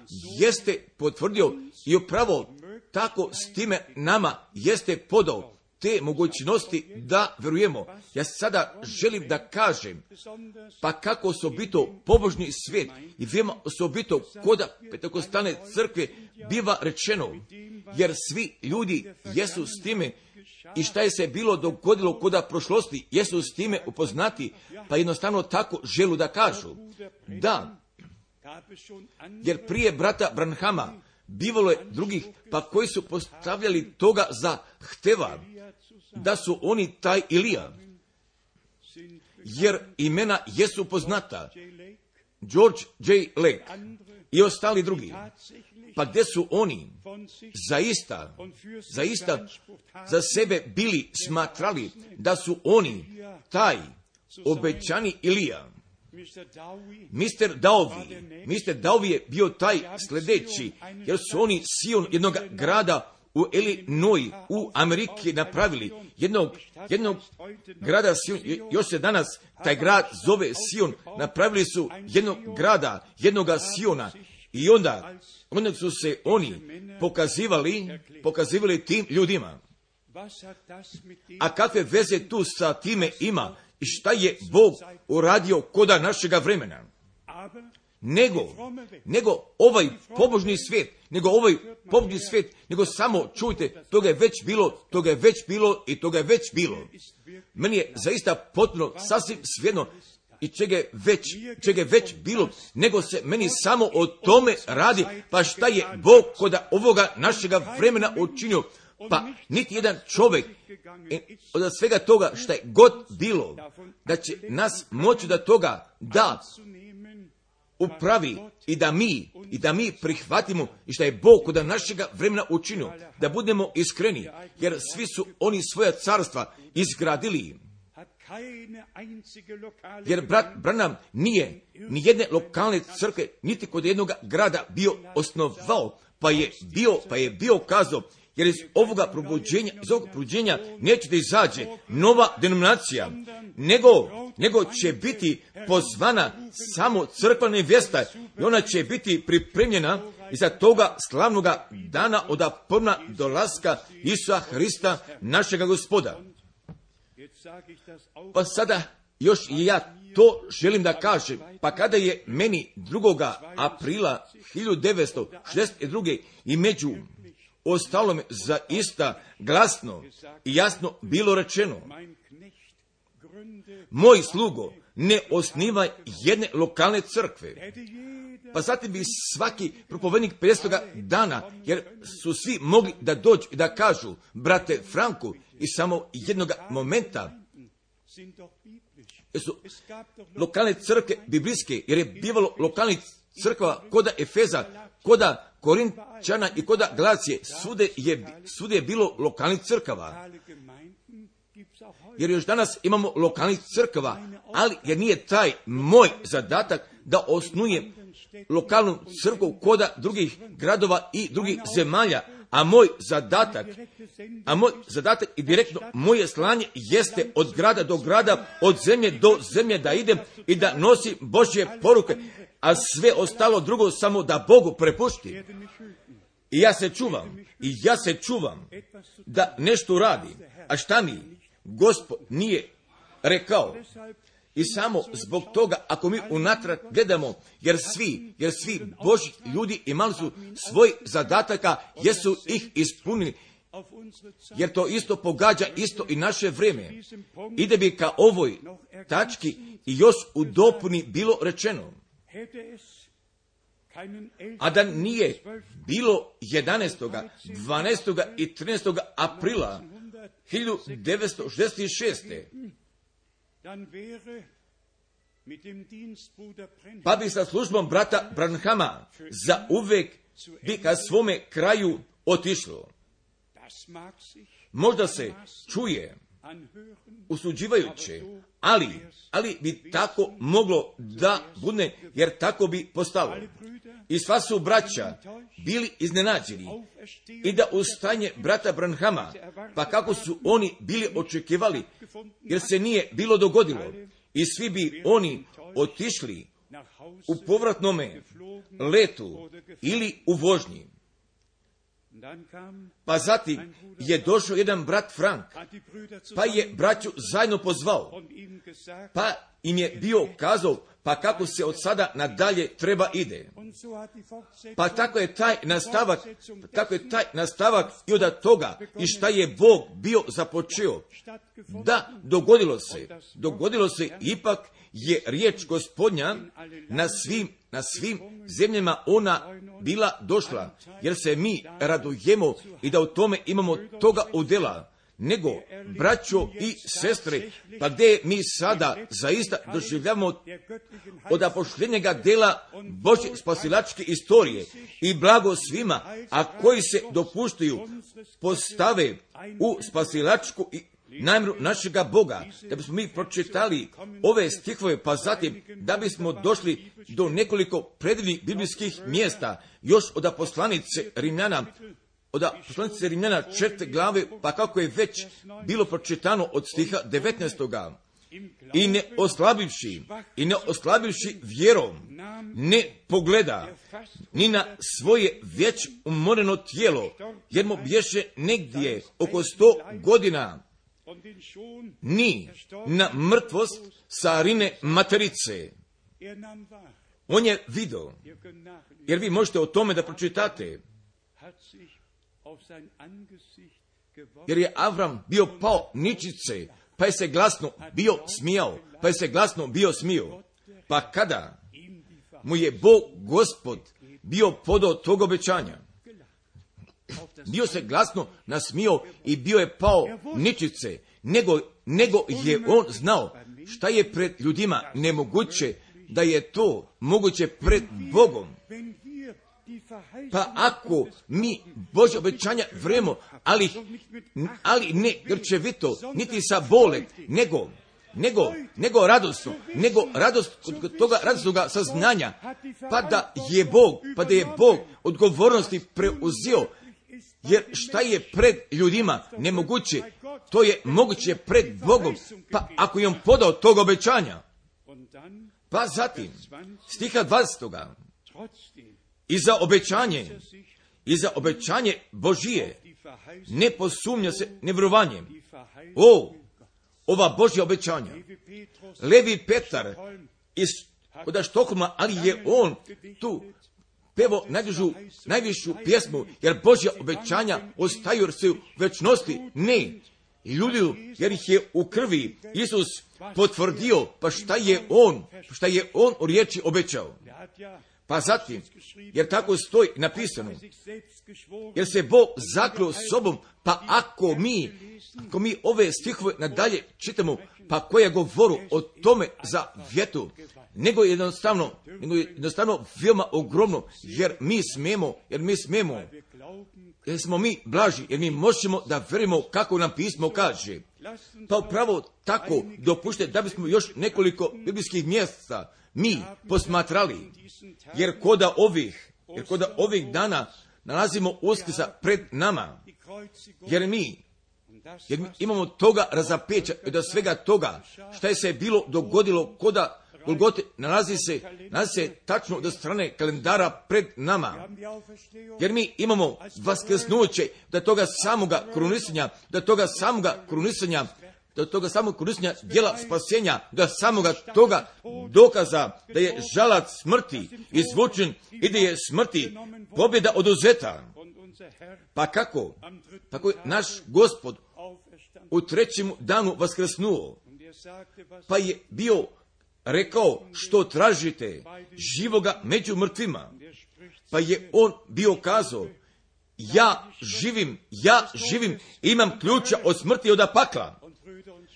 jeste potvrdio i upravo tako s time nama jeste podao te mogućnosti da vjerujemo. Ja sada želim da kažem, pa kako osobito pobožni svijet i veoma osobito kod Pentekostalne crkve biva rečeno, jer svi ljudi jesu s time i šta je se bilo dogodilo kod prošlosti, jesu s time upoznati, pa jednostavno tako želu da kažu. Da, jer prije brata Branhama bivalo je drugih, pa koji su postavljali toga za hteva, da su oni taj Ilija. Jer imena jesu poznata. George J. Lake i ostali drugi. Pa gdje su oni zaista za sebe bili smatrali da su oni taj obećani Ilija. Mr. Dowie je bio taj sljedeći, jer su oni Sion jednog grada u Illinois, u Ameriki napravili. Jednog grada Sion, još se danas taj grad zove Sion, napravili su jednog grada, jednoga Siona. I onda su se oni pokazivali tim ljudima. A kakve veze tu sa time ima i šta je Bog uradio koda našega vremena? Nego ovaj pobožni svijet, nego samo čujte, toga je već bilo i toga je već bilo. Meni je zaista potpuno sasvim svejedno i čega je već bilo, nego se meni samo o tome radi, pa šta je Bog koda ovoga našega vremena učinio. Pa niti jedan čovjek od svega toga šta je god bilo, da će nas moći da toga da upravi i da mi prihvatimo i šta je Bog kod našega vremena učinio, da budemo iskreni, jer svi su oni svoja carstva izgradili. Jer brat Branham nije ni jedne lokalne crkve, niti kod jednog grada bio osnovao, pa je bio kazao, jer iz ovoga probuđenja neće da izađe nova denominacija, nego će biti pozvana samo crkva nevjesta i ona će biti pripremljena iza toga slavnoga dana od prva dolaska Isusa Hrista, našega Gospoda. Pa sada još i ja to želim da kažem, pa kada je meni 2. aprila 1962. i među ostalome zaista glasno i jasno bilo rečeno, moj slugo, ne osnivaj jedne lokalne crkve. Pa zatim bi svaki propovednik 50. dana, jer su svi mogli da dođu i da kažu, brate Franku, i samo jednog momenta, jer su lokalne crkve biblijske, jer je bivalo lokalnih crkva koda Efeza, koda Korinčana i koda Galacije, svude je bilo lokalnih crkava. Jer još danas imamo lokalnih crkava, ali jer nije taj moj zadatak da osnujem lokalnu crkvu koda drugih gradova i drugih zemalja, a moj zadatak i direktno moje slanje jeste od grada do grada, od zemlje do zemlje da idem i da nosim Božje poruke, a sve ostalo drugo samo da Bogu prepuštim. I ja se čuvam da nešto uradim, a šta mi Gospod nije rekao. I samo zbog toga, ako mi unatrag gledamo, jer svi Božji ljudi imali su svoj zadataka, jesu ih ispunili, jer to isto pogađa isto i naše vrijeme. Ide bi ka ovoj tački i još u dopuni bilo rečeno, a da nije bilo 11., 12. i 13. aprila 1966. Pa bi sa službom brata Branhama za uvek bi ka svome kraju otišlo. Možda se čuje usuđivajuće, ali bi tako moglo da bude, jer tako bi postalo. I sva su braća bili iznenađeni i da ustaje brata Branhama, pa kako su oni bili očekivali, jer se nije bilo dogodilo. I svi bi oni otišli u povratnome letu ili u vožnji. Pa zatim je došao jedan brat Frank, pa je braću zajedno pozvao, pa im je bio kazao, pa kako se od sada nadalje treba ide. Pa tako je taj nastavak i od toga i šta je Bog bio započeo. Da, dogodilo se ipak je riječ Gospodnja na svim zemljama ona bila došla, jer se mi radujemo i da u tome imamo toga udjela. Nego, braćo i sestre, pa gdje mi sada zaista doživljamo od apoštenjega dela Božje spasilačke istorije i blago svima, a koji se dopuštaju postave u spasilačku namjeru našega Boga, da bismo mi pročitali ove stihove, pa zatim da bismo došli do nekoliko predivnih biblijskih mjesta, još od poslanice Rimljana 4. glave, pa kako je već bilo pročitano od stiha 19. i ne oslabivši vjerom, ne pogleda ni na svoje već umoreno tijelo, jer mu bješe negdje oko 100 godina, ni na mrtvost carine materice. On je vidio, jer vi možete o tome da pročitate, jer je Avram bio pao ničice, pa je se glasno bio smijao, pa kada mu je Bog Gospod bio podao tog obećanja, bio se glasno nasmijao i bio je pao ničice, nego je on znao šta je pred ljudima nemoguće, da je to moguće pred Bogom. Pa ako mi Božje obećanja vremo, ali ne grčevito, niti sa bole, nego radosno, radost od toga radosnoga saznanja, pa da je Bog odgovornosti preuzeo, jer šta je pred ljudima nemoguće, to je moguće pred Bogom, pa ako je on podao tog obećanja. Pa zatim, stiha 20. I za obećanje Božije ne posumnja se nevjerovanjem. Ova Božja obećanja. Levi Petar iz od Štokholma, ali je on tu pevo najvišu pjesmu, jer Božja obećanja ostaju jer se u večnosti ne ljuljaju, jer ih je u krvi Isus potvrdio, pa šta je on u riječi obećao. Pa zatim, jer tako stoji napisano, jer se Bog zakleo sobom, pa ako mi ove stihove nadalje čitamo, pa koje govoru o tome za vjetu, nego jednostavno veoma ogromno, jer smo mi blaži, jer mi možemo da verimo kako nam pismo kaže. Pa upravo tako dopušte da bismo još nekoliko biblijskih mjesta mi posmatrali, jer koda ovih dana nalazimo Uskrsa pred nama, jer mi imamo toga razapeća i od svega toga šta je se bilo dogodilo koda Golgote nalazi se tačno do strane kalendara pred nama, jer mi imamo vaskrsnuće do toga samoga krunisanja djela spasenja, do samoga toga dokaza da je žalac smrti izvučen i da je smrti pobjeda oduzeta. Pa kako je naš Gospod u 3. danu vaskrsnuo, pa je bio rekao što tražite živoga među mrtvima, pa je on bio kazao ja živim, imam ključa od smrti i od pakla.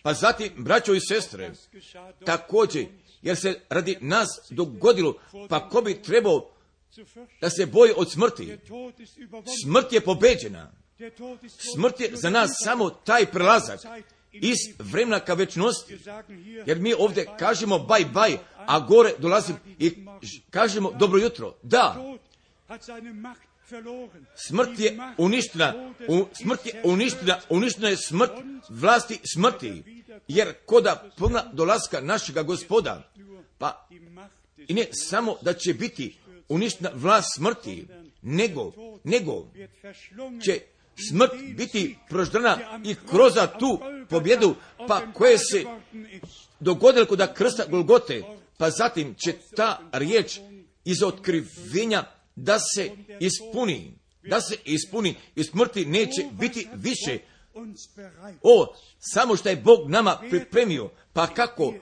Pa zatim, braćo i sestre, također, jer se radi nas dogodilo, pa ko bi trebao da se boji od smrti? Smrt je pobeđena. Smrt je za nas samo taj prelazak iz vremena ka večnosti. Jer mi ovdje kažemo bye, a gore dolazim i kažemo dobro jutro. Da, smrt je uništena je smrt vlasti smrti, jer koda puna dolaska našega Gospoda, pa i ne samo da će biti uništena vlast smrti, nego će smrt biti proždana i kroz tu pobjedu, pa koje se dogodilo kod krsta Golgote, pa zatim će ta riječ iz otkrivenja da se ispuni i smrti neće biti više. Samo što je Bog nama pripremio, pa kako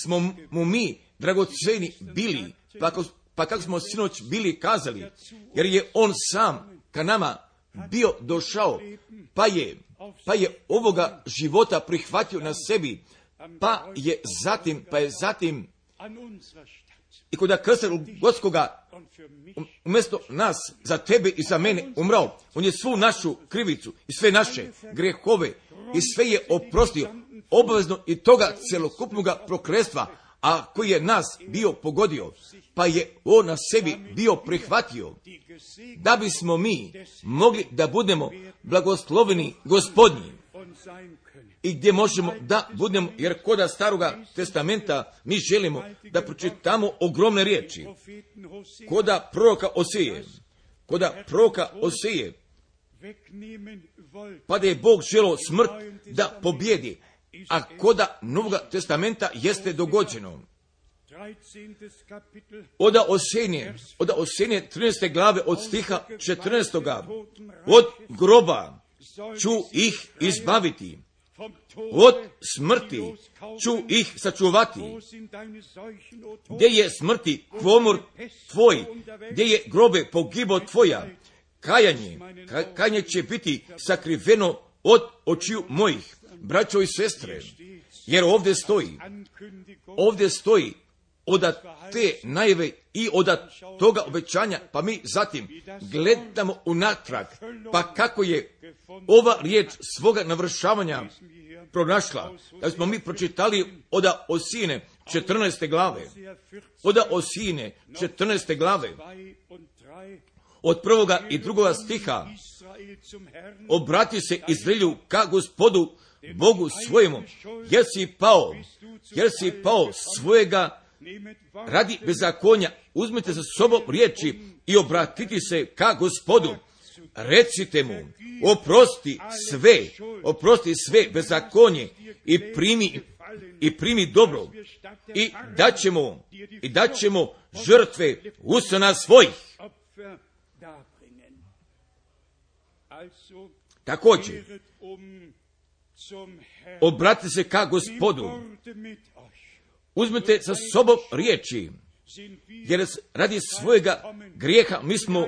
smo mu mi dragoceni bili, pa kako smo sinoć bili kazali, jer je on sam ka nama bio došao, pa je ovoga života prihvatio na sebi, pa je zatim i kod krsta Golgotskoga umjesto nas, za tebe i za mene umrao. On je svu našu krivicu i sve naše grehove i sve je oprostio, obavezno i toga celokupnoga prokletstva, a koji je nas bio pogodio, pa je on na sebi bio prihvatio, da bismo mi mogli da budemo blagosloveni Gospodnji. i gdje možemo da budemo, jer koda Staroga testamenta mi želimo da pročitamo ogromne riječi. Koda proroka Osije, pa da je Bog želio smrt da pobjedi, a koda Novoga testamenta jeste dogođeno. Oda Osenije 13. glave od stiha 14. Od groba ću ih izbaviti, od smrti ću ih sačuvati. Gdje je smrti kvomor tvoj, gdje je grobe pogibo tvoja, kajanje će biti sakriveno od očiju mojih, braćo i sestre, jer ovdje stoji od te najave i od toga obećanja, pa mi zatim gledamo unatrag, pa kako je ova riječ svoga navršavanja pronašla. Da smo mi pročitali od Osine 14. glave, od 1. i 2. stiha, obrati se Izraelju ka Gospodu Bogu svojemu, jer si pao svojega radi bezakonja. Uzmite za sobom riječi i obratiti se ka Gospodu. Recite mu, oprosti sve bezakonje i primi dobro i daćemo žrtve usana svojih. Također, obratite se ka Gospodu. Uzmite sa sobom riječi, jer radi svojega grijeha mi smo,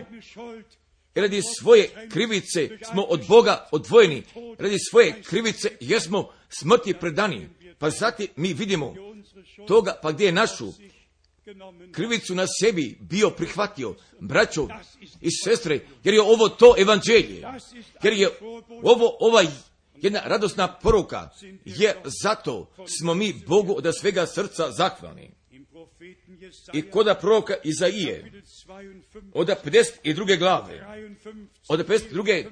radi svoje krivice smo od Boga odvojeni, radi svoje krivice jesmo smrti predani. Pa zatim mi vidimo toga, pa gdje je našu krivicu na sebi bio prihvatio, braćo i sestre, jer je ovo to evanđelje, jer je ovo jedna radosna poruka, jer zato smo mi Bogu od svega srca zahvalni. I koda proroka Izaije, od 52. glave, od 52.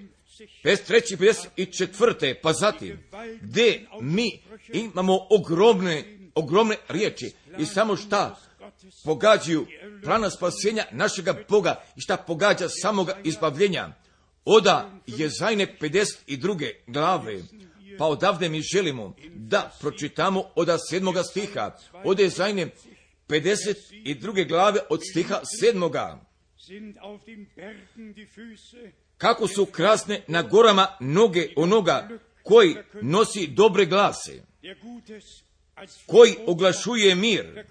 53. 54. pa zatim, gdje mi imamo ogromne riječi i samo šta pogađaju plana spasenja našega Boga i šta pogađa samoga izbavljenja. Oda Jezajne 52. glave, pa odavde mi želimo da pročitamo od 7. stiha, od Jezajne 52. glave od stiha 7. Kako su krasne na gorama noge onoga koji nosi dobre glase, koji oglašuje mir,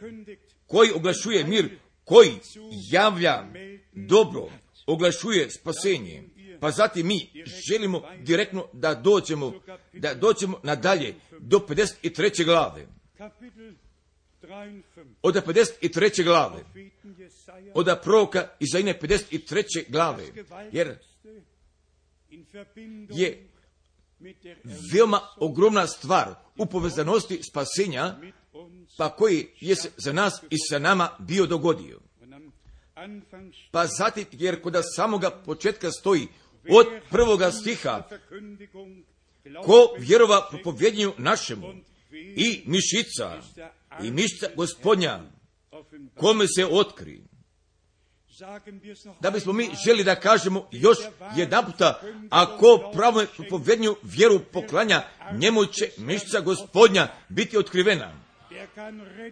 koji javlja dobro, oglašuje spasenje. Pa zatim mi želimo direktno da dođemo nadalje do 53. glave. Od 53. glave, od proroka Izaije 53. glave, jer je veoma ogromna stvar u povezanosti spasenja, pa koji je se za nas i sa nama bio dogodio. Pa zatim, jer kod samoga početka stoji od 1. stiha, ko vjerova propovjednju našemu i mišica Gospodnja, kome se otkri. Da bismo mi želi da kažemo još jedan puta, ako pravo propovjednju vjeru poklanja, njemu će mišica Gospodnja biti otkrivena.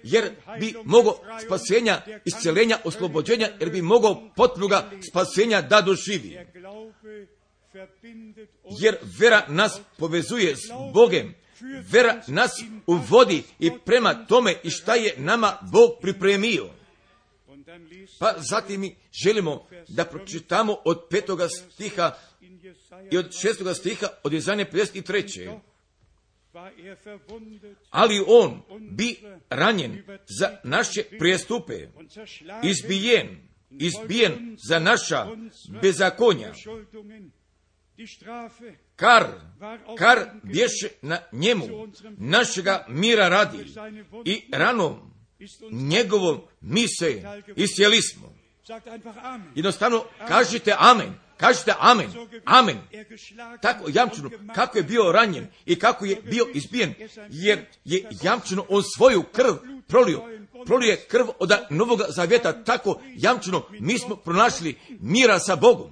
Jer bi mogao spasenja, isceljenja, oslobođenja, jer bi mogao potpunoga spasenja da doživi. Jer vera nas povezuje s Bogem, vera nas uvodi i prema tome i šta je nama Bog pripremio. Pa zatim mi želimo da pročitamo od 5. stiha i od 6. stiha od Jezajne 53. Ali on bi ranjen za naše prijestupe, izbijen za naša bezakonja. Kar bješe na njemu našega mira radi i ranom njegovom mi se iscijeli smo. Jednostavno kažite amen. Kažete amen, amen. Tako jamčeno, kako je bio ranjen i kako je bio izbijen, jer je jamčeno on svoju krv prolije krv od Novoga Zavjeta, tako jamčeno mi smo pronašli mira sa Bogom.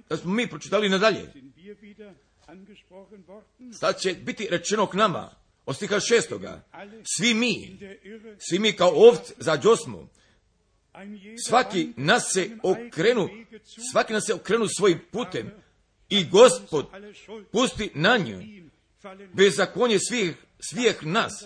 Da smo mi pročitali nadalje. Sad će biti rečeno k nama, od stiha 6. Svi mi kao ovce zađosmo, svaki nas se okrenu svojim putem i Gospod pusti na nju bezakonje svih nas,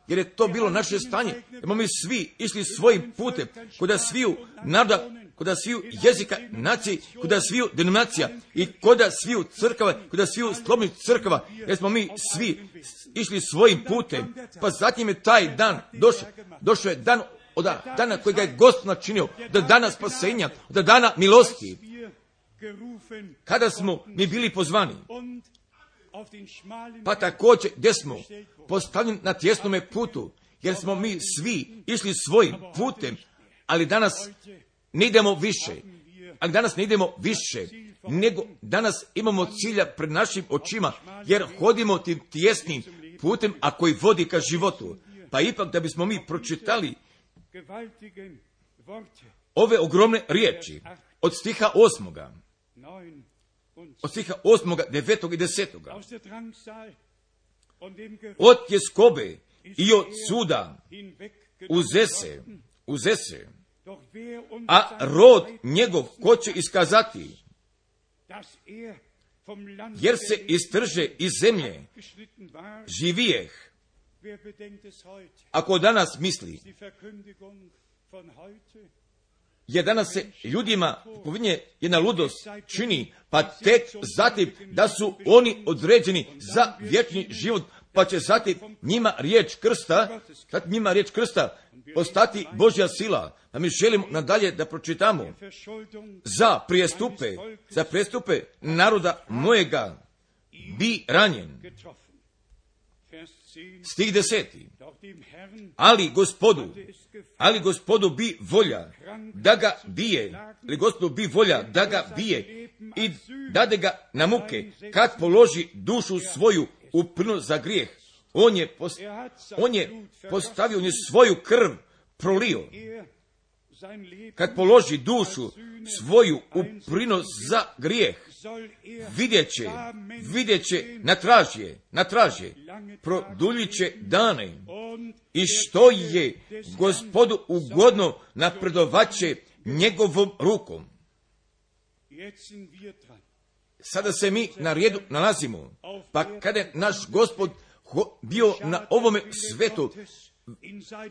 jer je to bilo naše stanje. Jer mi svi išli svojim putem, kod sviju naroda, kod sviju jezika, nacije, kod sviju denominacija i kod sviju crkava, kod sviju slobodnih crkava, jer smo mi svi išli svojim putem. Pa zatim je taj dan došao je dan od dana kojega je Gospod načinio, do dana spasenja, do dana milosti, kada smo mi bili pozvani. Pa također gdje smo postavljeni na tjesnome putu, jer smo mi svi išli svojim putem, ali danas ne idemo više, nego danas imamo cilja pred našim očima, jer hodimo tim tjesnim putem, a koji vodi ka životu. Pa ipak da bismo mi pročitali ove ogromne riječi od stiha 8. Od stiha 8., 9. i 10. Od tjeskobe i od suda uzese, a rod njegov ko će iskazati, jer se istrže iz zemlje, živijeh. Ako danas misli, jer danas se ljudima povinje jedna ludost čini, pa tek zatim da su oni određeni za vječni život, pa će zatim njima riječ krsta postati Božja sila. A mi želimo nadalje da pročitamo za prijestupe naroda mojega bi ranjen. Stih 10. Ali gospodu bi volja da ga bije, i dade ga na muke, kad položi dušu svoju u plinu za grijeh. On je postavio, on je svoju krv prolio. Kad položi dušu svoju u plinu za grijeh, vidjet će na tražje, produljit će dane, i što je Gospodu ugodno napredovaće njegovom rukom. Sada se mi na redu nalazimo, pa kada je naš Gospod bio na ovome svetu,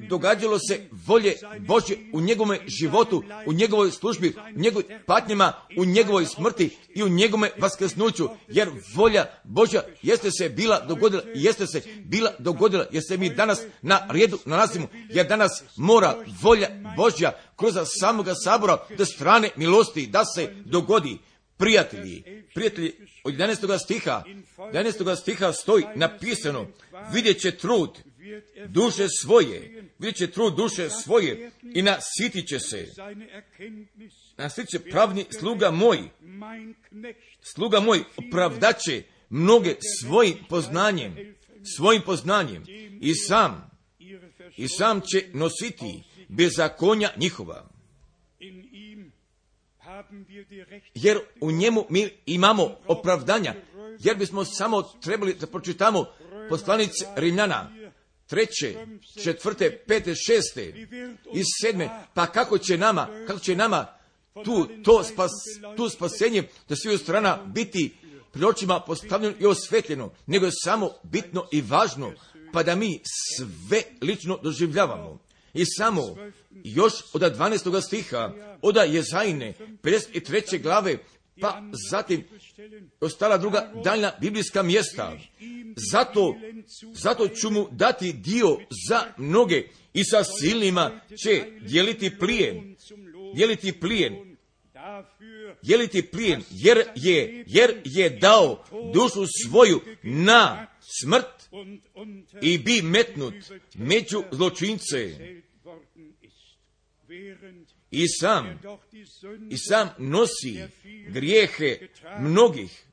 događalo se volje Božje u njegovom životu, u njegovoj službi, u njegovim patnjama, u njegovoj smrti i u njegovom vaskrsnuću, jer volja Božja jeste se bila dogodila, jer se mi danas na redu nalazimo, jer danas mora volja Božja kroz samoga sabora do strane milosti da se dogodi. Prijatelji, od 11. stiha stoji napisano, vidjet će trud duše svoje i nasitit će pravni sluga moj opravdaće mnoge svojim poznanjem i sam će nositi bezakonja njihova. Jer u njemu mi imamo opravdanja, jer bismo samo trebali da pročitamo poslanice Rimljana 3., 4., 5., 6. i 7. Pa kako će nama tu spasenje da sviju strana biti pred očima postavljeno i osvetljeno, nego je samo bitno i važno, pa da mi sve lično doživljavamo. I samo još od 12. stiha, od Jezajine 53. glave, pa zatim ostala druga daljna biblijska mjesta. Zato ću mu dati dio za mnoge i sa silnima će dijeliti plijen, jer je dao dušu svoju na smrt i bi metnut među zločince. i sam nosi grijehe mnogih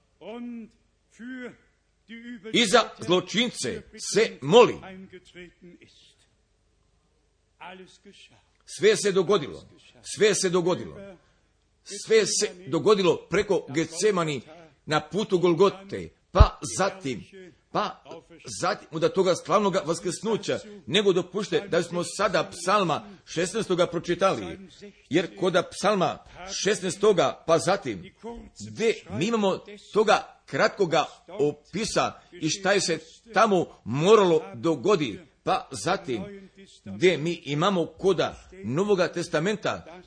i za zločince se moli. Sve se dogodilo. Sve se dogodilo preko Getsemani na putu Golgote, pa zatim da toga slavnog vaskrsnuća, nego dopušte da smo sada psalma 16. pročitali, jer kod psalma 16. pa zatim, gdje mi imamo toga kratkoga opisa i šta je se tamo moralo dogodi, pa zatim, gdje mi imamo koda Novoga testamenta,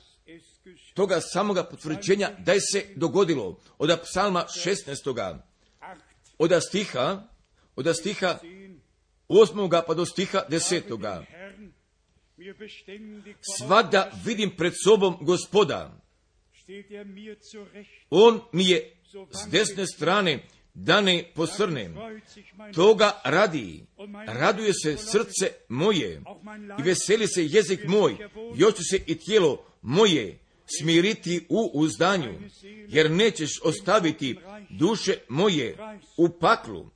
toga samoga potvrđenja da je se dogodilo od psalma 16. od stiha 8. pa do stiha 10. Svada vidim pred sobom Gospoda. On mi je s desne strane da ne posrnem. Toga raduje se srce moje i veseli se jezik moj, još će se i tijelo moje smiriti u uzdanju, jer nećeš ostaviti duše moje u paklu,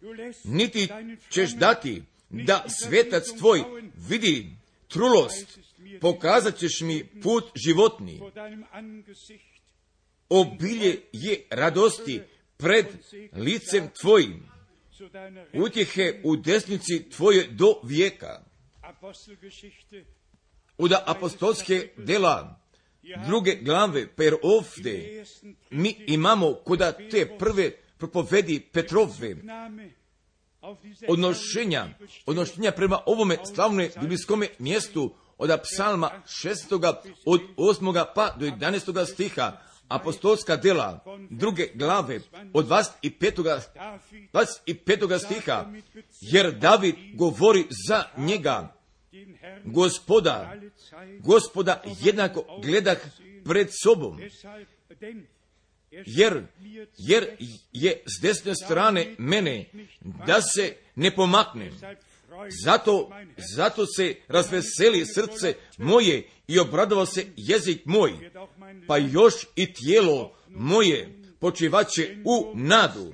niti ćeš dati da svetac tvoj vidi trulost, pokazat ćeš mi put životni. Obilje je radosti pred licem tvojim, utjehe u desnici tvoje do vijeka. Od apostolske dela 2. glave, per ovdje mi imamo koda te prve propovedi Petrove, odnošenja prema ovome slavnome biblijskome mjestu od psalma 6. od 8. pa do 11. stiha, apostolska dela 2. glave od 25. stiha, jer David govori za njega, Gospoda jednako gledah pred sobom, jer je s desne strane mene da se ne pomaknem. Zato se razveseli srce moje i obradovao se jezik moj, pa još i tijelo moje počivaće u nadu,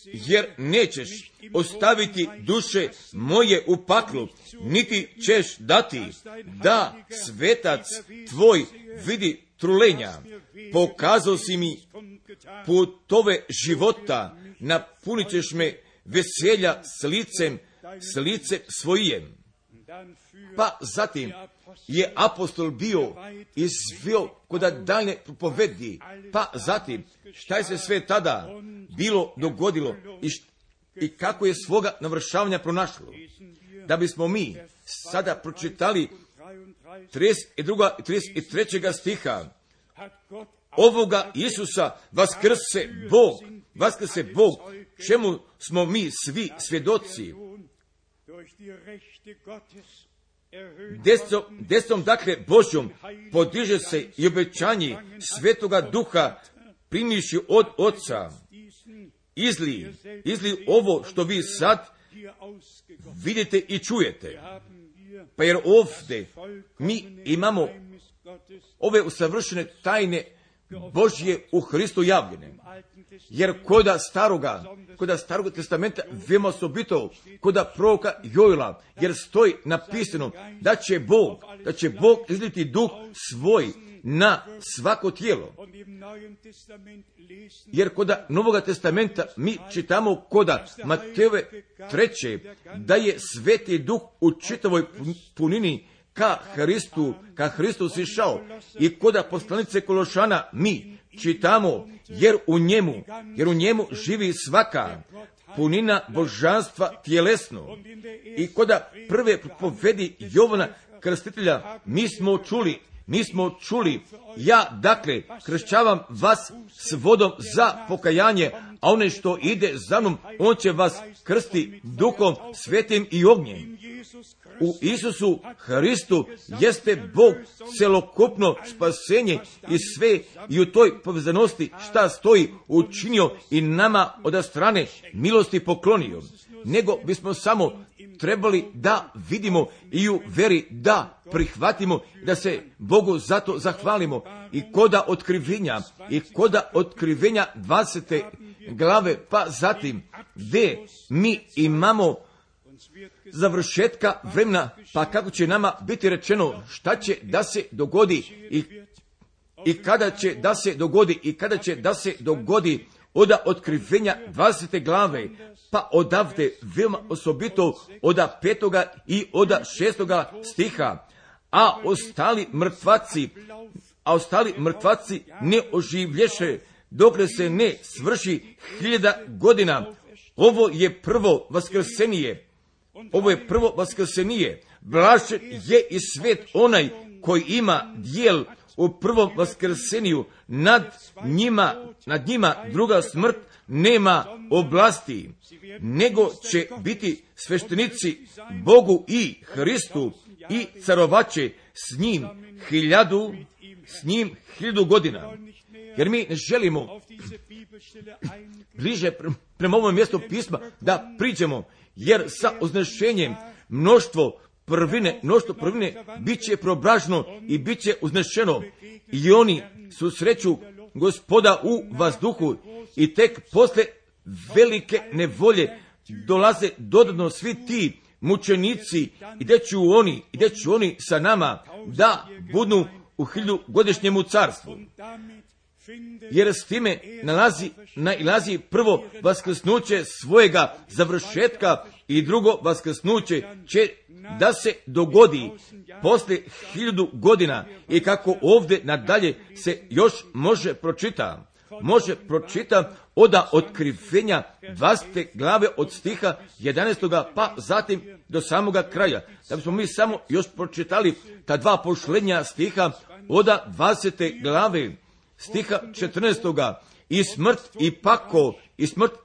jer nećeš ostaviti duše moje u paklu, niti ćeš dati da svetac tvoj vidi trulenja. Pokazao si mi putove života, napunit ćeš me veselja s licem svojim. Pa zatim je apostol bio izvio koda daljne propovedi, pa zatim šta je se sve tada bilo dogodilo i kako je svoga navršavanja pronašlo. Da bismo mi sada pročitali 32. i 33. stiha, ovoga Isusa vaskrse Bog, čemu smo mi svi svjedoci. Desnom dakle Božjom podiže se i obećanje Svetoga Duha primiši od Oca. Izli ovo što vi sad vidite i čujete. Pa jer ovdje mi imamo ove usavršene tajne Božje u Hristu javljene. Jer koda staroga testamenta veoma osobito koda proroka Joela, jer stoji napisano da će Bog izliti duh svoj na svako tijelo. Jer koda Novoga testamenta mi čitamo koda Matejove 3. da je Sveti Duh u čitavoj punini ka Hristu sišao, i koda poslanice Kološana mi čitamo, jer u njemu živi svaka punina božanstva tjelesno. I koda prve propovedi Jovana Krstitelja mi smo čuli, ja dakle kršćavam vas s vodom za pokajanje, a onaj što ide za mnom, on će vas krsti Duhom Svetim i ognjem. U Isusu Hristu jeste Bog celokupno spasenje i sve, i u toj povezanosti šta stoji učinio i nama od strane milosti poklonio. Nego bismo samo trebali da vidimo i u veri da prihvatimo, da se Bogu zato zahvalimo. I koda otkrivenja 20. glave, pa zatim gdje mi imamo završetka vremena, pa kako će nama biti rečeno šta će da se dogodi i kada će da se dogodi od otkrivenja 20. glave, pa odavde veoma osobito od 5. i od 6. stiha, a ostali mrtvaci ne oživlješe dokle se ne svrši 1000 godina. Ovo je prvo vaskrsenije. Blažen je i svet onaj koji ima dijel u prvom vaskrseniju. Nad njima druga smrt nema oblasti, nego će biti sveštenici Bogu i Hristu i carovaće s njim 1000 godina. Jer mi ne želimo bliže prema ovom mjestu pisma da priđemo, jer sa uznešenjem mnoštvo prvine bit će preobraženo i bit će uznešeno. I oni susreću Gospoda u vazduhu i tek posle velike nevolje dolaze dodatno svi ti mučenici i gdje će oni sa nama da budu u 1000-godišnjemu carstvu. Jer s time nailazi prvo vaskrsnuće svojega završetka i drugo vaskrsnuće će da se dogodi posle 1000 godina. I kako ovdje nadalje se još može pročita od otkrivenja 20. glave od stiha 11. pa zatim do samoga kraja. Da bismo mi samo još pročitali ta dva posljednja stiha od 20. glave stiha 14. I smrt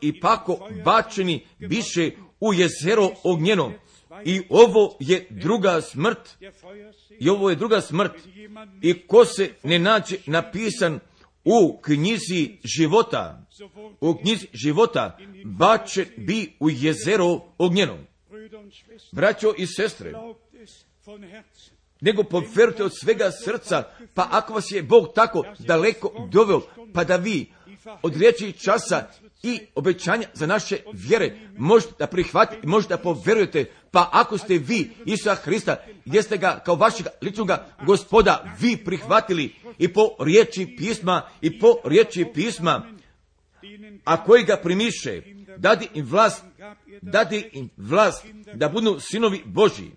i pako bačeni biše u jezero ognjeno. I ovo je druga smrt. I ko se ne nađe napisan u knjizi života, bačen bi u jezero ognjeno. Braćo i sestre, nego povjerujte od svega srca, pa ako vas je Bog tako daleko doveo, pa da vi od riječi časa i obećanja za naše vjere možete da prihvatite, možete da povjerujete, pa ako ste vi Isusa Hrista, gdje ste ga kao vašeg ličnog Gospoda vi prihvatili i po riječi pisma, a koji ga primiše, dadi im vlast da budu sinovi Božji.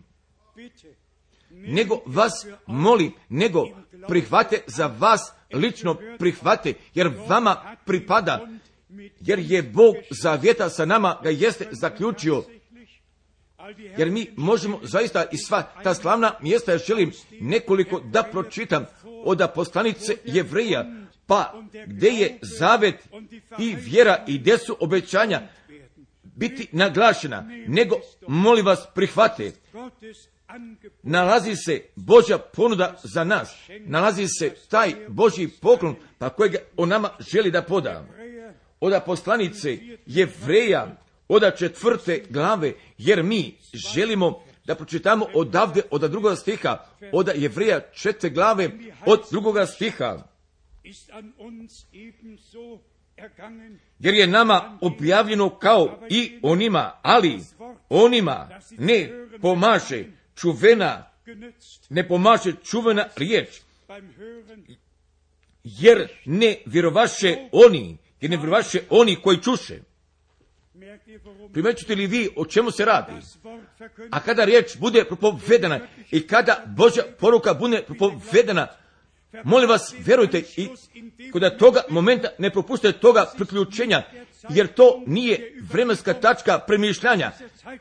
Nego vas molim, nego prihvate za vas, lično prihvate, jer vama pripada, jer je Bog zavjeta sa nama, ga jeste zaključio. Jer mi možemo zaista i sva ta slavna mjesta, ja želim nekoliko da pročitam od poslanice Jevreja, pa gdje je zavet i vjera i gdje su obećanja biti naglašena, nego molim vas prihvate. Nalazi se Božja ponuda za nas, nalazi se taj Božji poklon, pa kojeg on nama želi da poda. Od poslanice Jevreja, od 4. glave, jer mi želimo da pročitamo odavde, od 2. stiha, od Jevreja 4. glave, od 2. stiha. Jer je nama objavljeno kao i onima, ali onima ne pomaže čuvena riječ, jer ne vjerovaše oni koji čuše. Primećujete li vi o čemu se radi? A kada riječ bude propovedana i kada Božja poruka bude propovedana, molim vas, vjerujte i kod toga momenta ne propustite toga priključenja, jer to nije vremenska tačka premišljanja,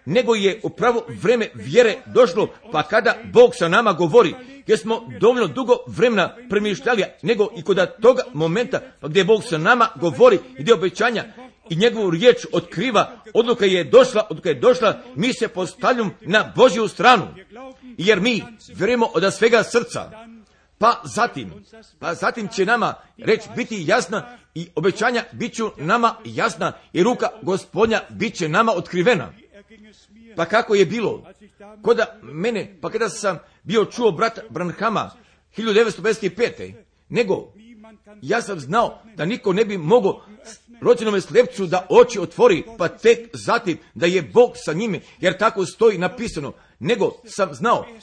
nego je upravo vreme vjere došlo, pa kada Bog sa nama govori, jer smo dovoljno dugo vremena premišljali, nego i kod toga momenta gdje Bog sa nama govori, gdje obećanja i njegovu riječ otkriva, odluka je došla, mi se postavljamo na Božju stranu, jer mi vjerujemo od svega srca. Pa zatim će nama reč biti jasna i obećanja bit će nama jasna i ruka Gospodnja bit će nama otkrivena. Pa kako je bilo? Koda mene, pa kada sam bio čuo brata Branhama 1955. Nego, ja sam znao da niko ne bi mogao rođenome slepcu da oči otvori, pa tek zatim da je Bog sa njime, jer tako stoji napisano.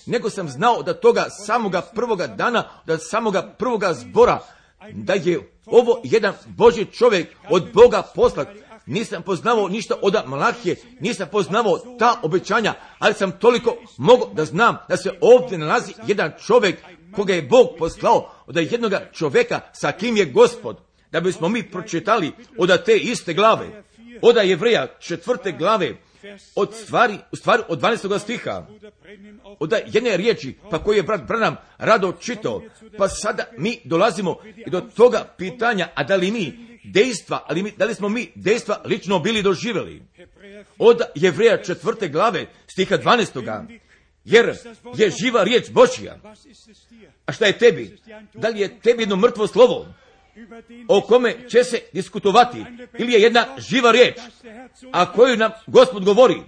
Nego sam znao da toga samoga prvoga dana, da samoga prvoga zbora, da je ovo jedan Božji čovjek od Boga poslat. Nisam poznavao ništa od Malahije, nisam poznavao ta obećanja, ali sam toliko mogao da znam da se ovdje nalazi jedan čovjek koga je Bog poslao, od jednoga čovjeka sa kim je Gospod. Da bismo mi pročitali od te iste glave, od Jevreja 4. glave, u stvari od 12. stiha, od jedne riječi, pa koji je brat Branham rado čitao, pa sada mi dolazimo do toga pitanja, a da li mi dejstva, da li smo mi dejstva lično bili doživjeli? Od Jevreja 4. glave, stiha 12. Jer je živa riječ Božja. A šta je tebi? Da li je tebi jedno mrtvo slovo o kome će se diskutovati, ili je jedna živa riječ, a koju nam Gospod govori?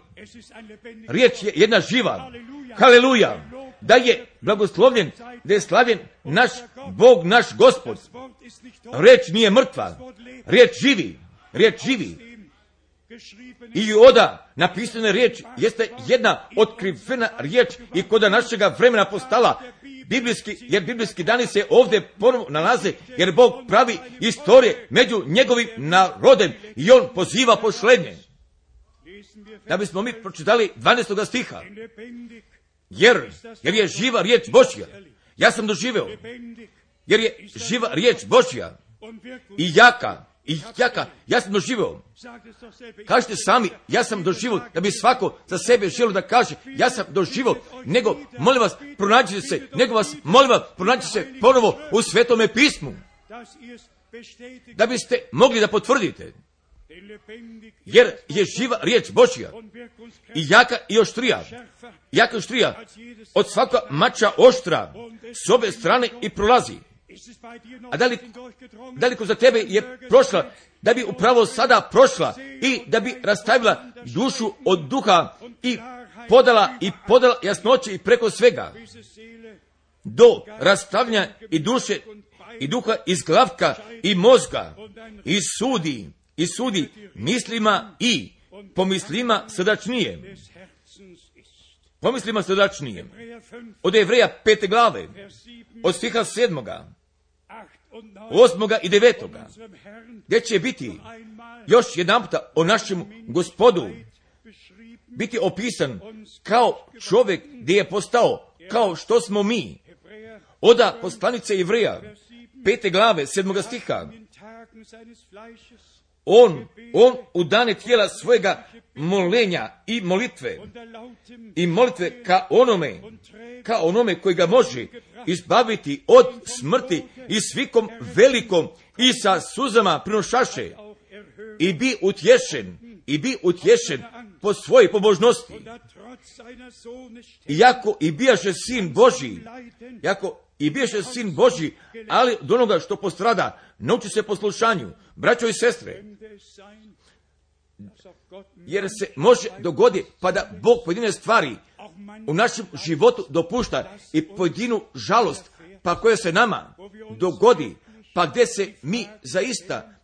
Riječ je jedna živa. Haleluja! Da je blagoslovljen, da je slavljen naš Bog, naš Gospod. Riječ nije mrtva, riječ živi. I oda napisana riječ jeste jedna otkrivena riječ i koda našega vremena postala jer biblijski dani se ovdje ponovo nalaze, jer Bog pravi istorije među njegovim narodem i on poziva pošlenje. Da bismo mi pročitali 12. stiha. Jer je živa riječ Božja. Ja sam doživeo. Jer je živa riječ Božja i jaka. Ja sam doživeo. Kažete sami, ja sam doživio, da bi svako za sebe želio da kaže, ja sam doživio, nego, molim vas, pronađite se ponovo u Svetome pismu, da biste mogli da potvrdite, jer je živa riječ Božja i jaka i oštrija, od svaka mača oštra, s obje strane i prolazi. A da li za tebe je prošla, da bi upravo sada prošla i da bi rastavila dušu od duha i podala jasnoće i preko svega do rastavljanja i duše i duha iz glavka i mozga i sudi mislima i pomislima srdačnije. Od Jevreja 5. glave, od stiha 7. 8. i 9. gdje će biti još jedanputa o našem Gospodu biti opisan kao čovjek gdje je postao kao što smo mi. Oda poslanice Jevreja 5. glave 7. stiha. On u dane tijela svojega molenja i molitve ka onome koji ga može izbaviti od smrti i svikom velikom i sa suzama prinošaše i bi utješen po svojoj pobožnosti. Iako i bijaše sin Božji, ali od onoga što postrada, nauči se poslušanju, braćo i sestre, jer se može dogoditi pa da Bog pojedine stvari u našem životu dopušta i pojedinu žalost, pa koja se nama dogodi, pa gdje se mi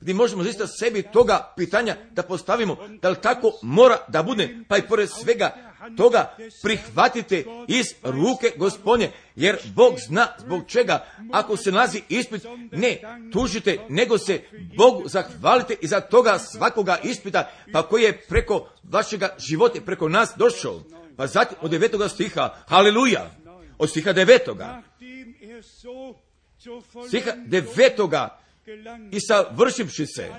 gdje možemo zaista sebi toga pitanja da postavimo, da li tako mora da bude, pa i pored svega toga prihvatite iz ruke Gospodnje, jer Bog zna zbog čega, ako se nalazi ispit, ne tužite, nego se Bogu zahvalite i za toga svakoga ispita, pa koji je preko vašega života, preko nas došao. Pa zatim od 9. stiha, haleluja, od stiha 9. Stiha 9. i savršivši se,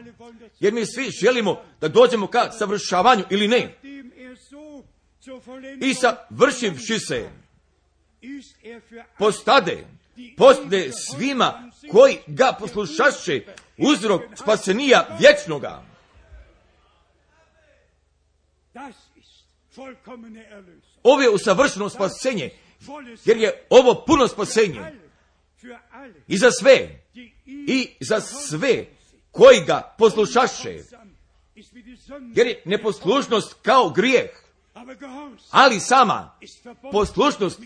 jer mi svi želimo da dođemo ka savršavanju ili ne. I savršivši se, postade svima koji ga poslušaše uzrok spasenija vječnoga. Ovo je usavršeno spasenje, jer je ovo puno spasenje i za sve koji ga poslušaše, jer je neposlušnost kao grijeh. Ali sama poslušnost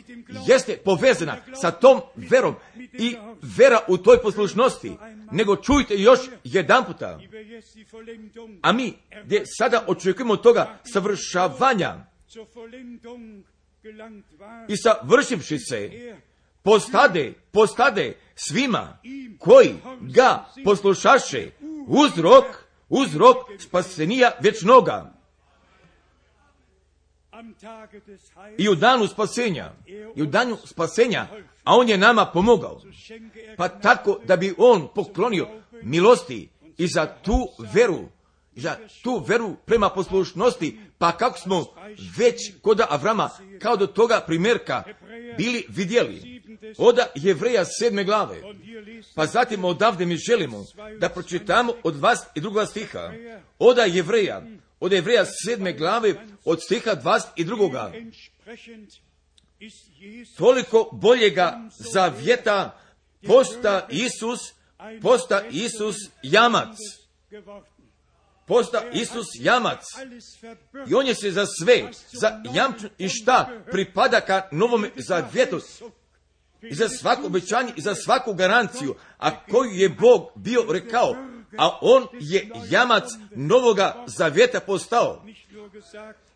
jeste povezana sa tom verom i vera u toj poslušnosti. Nego čujte još jedan puta. A mi gdje sada očekujemo toga savršavanja i savršivši se postade svima koji ga poslušaše uzrok spasenija vječnoga. I u danu spasenja, a on je nama pomogao, pa tako da bi on poklonio milosti i za tu veru prema poslušnosti, pa kako smo već kod Avrama, kao do toga primjerka bili vidjeli, od Jevreja 7. glave, pa zatim odavde mi želimo da pročitamo od 22. stiha, od Jevreja 7. glave, od stiha 22. Toliko boljega zavjeta posta Isus jamac. Posta Isus jamac. I on je se za sve, za jamču i šta pripada ka novom zavjetu. I za svako obećanje i za svaku garanciju, a koju je Bog bio rekao, a on je jamac novoga zavjeta postao.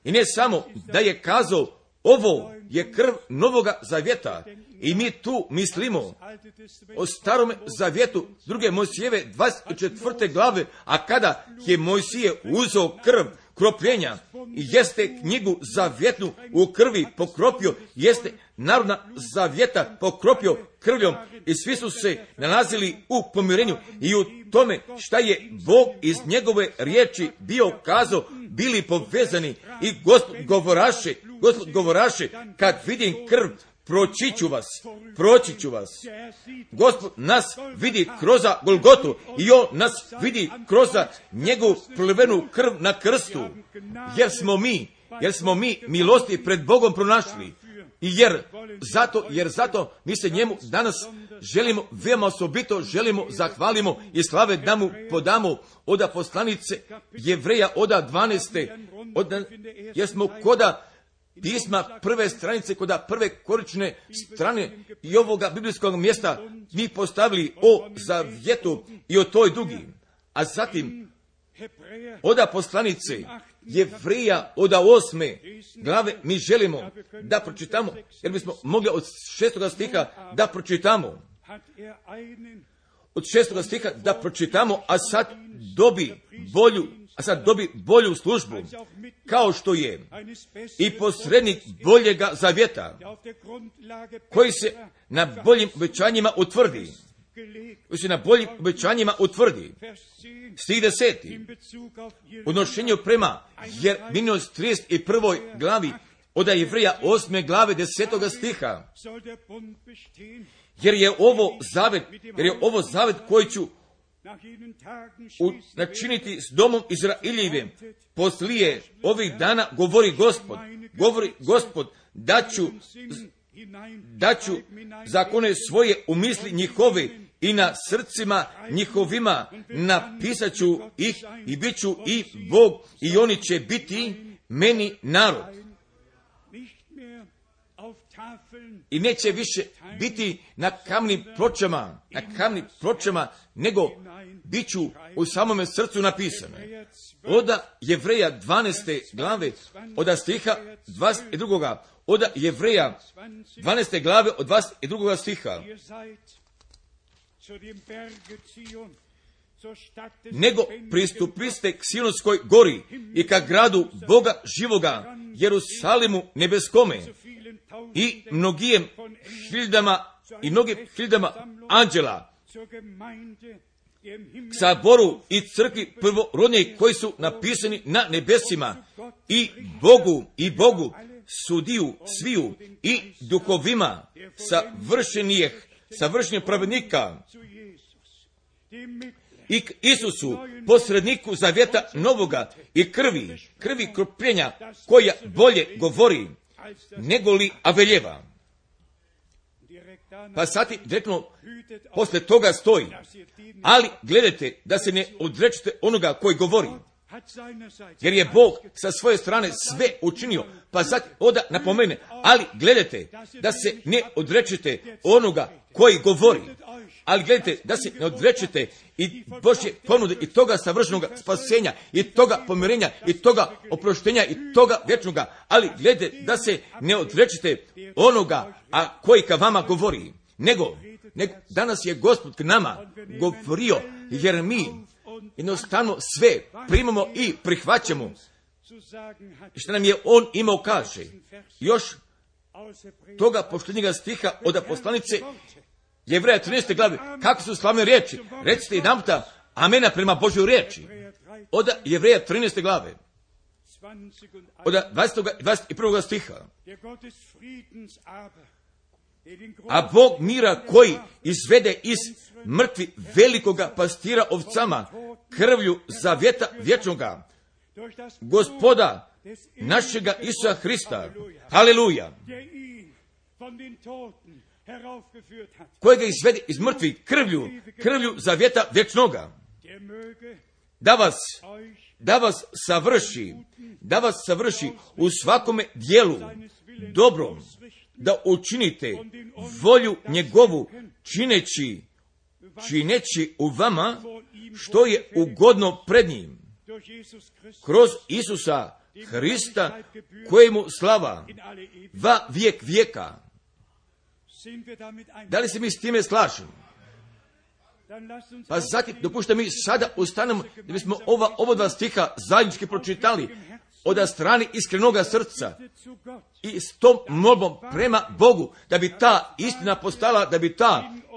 I ne samo da je kazao, ovo je krv novoga zavjeta. I mi tu mislimo o starome zavjetu 2. Mojsijeve 24. glave, a kada je Mojsije uzeo krv kropljenja i jeste knjigu zavjetnu u krvi pokropio, jeste narodna zavjeta pokropio krvljom i svi su se nalazili u pomirenju i u tome šta je Bog iz njegove riječi bio kazao, bili povezani i Gospod govoraše, kad vidim krv, proći ću vas. Gospod nas vidi kroz Golgotu i on nas vidi kroz njegovu prolivenu krv na krstu, jer smo mi milosti pred Bogom pronašli. I jer zato mi se njemu danas želimo, veoma osobito želimo, zahvalimo i slave da mu podamo od poslanice Jevreja od 12. Jer smo koda pisma prve stranice, koda prve korične strane i ovoga biblijskog mjesta mi postavili o zavjetu i o toj dugi. A zatim od poslanice Jevreja od 8. glave mi želimo da pročitamo, jer bismo mogli od 6. stiha da pročitamo. Od 6. stiha da pročitamo, a sad dobi bolju službu, kao što je i posrednik boljega zavjeta, koji se na boljim obećanjima utvrdi. Stih 10. Odnošenju prema Jeremijinoj 31. glavi od Jevreja 8. glave 10. stiha. Jer je ovo zavet koji ću načiniti s domom Izraeljevim poslije ovih dana, govori Gospod, da ću zakone svoje u misli njihove i na srcima njihovima napisat ću ih i bit ću i Bog i oni će biti meni narod. I neće više biti na kamnim pločama, nego bit ću u samome srcu napisane. Od Jevreja 12. glave, od stiha 22. Od Jevreja 12. glave, od 22. stiha. Nego pristupiste k Sionskoj gori i ka gradu Boga živoga, Jerusalimu nebeskome i mnogim hiljadama anđela, k saboru i crkvi prvorodnijih koji su napisani na nebesima i Bogu sudiju sviju i duhovima savršenijeg pravednika i k Isusu, posredniku zavjeta novoga i krvi kropljenja koja bolje govori nego li Aveljeva. Pa sad direktno posle toga stoji, ali gledajte da se ne odrečete onoga koji govori. jer je Bog sa svoje strane sve učinio, pa sad onda napomene, ali gledajte da se ne odrečete onoga koji govori, ali gledajte da se ne odrečete i Božje ponude i toga savršenog spasenja i toga pomirenja i toga oproštenja i toga vječnoga, ali gledajte da se ne odrečete onoga a koji ka vama govori, nego danas je Gospod k nama govorio, jer mi jednostavno sve primamo i prihvaćamo što nam je On imao kaže. Još toga posljednjega stiha od poslanice Jevreja 13. glave, kako su slavne riječi, recite jedanputa amena prema Božjoj riječi, od Jevreja 13. glave, od 20. i 21. stiha. A Bog mira koji izvede iz mrtvi velikoga pastira ovcama krvlju zavjeta vječnoga, Gospoda našega Isusa Hrista, haleluja, kojega izvede iz mrtvi krvlju zavjeta vječnoga, da vas savrši u svakome dijelu dobrom, da učinite volju njegovu čineći u vama što je ugodno pred njim, kroz Isusa Hrista, kojemu slava va vijek vijeka. Da li se mi s time slažemo? Pa zatim dopušta mi sada ustanemo da bismo ova dva stiha zajednički pročitali od strane iskrenoga srca i s tom molbom prema Bogu, da bi ta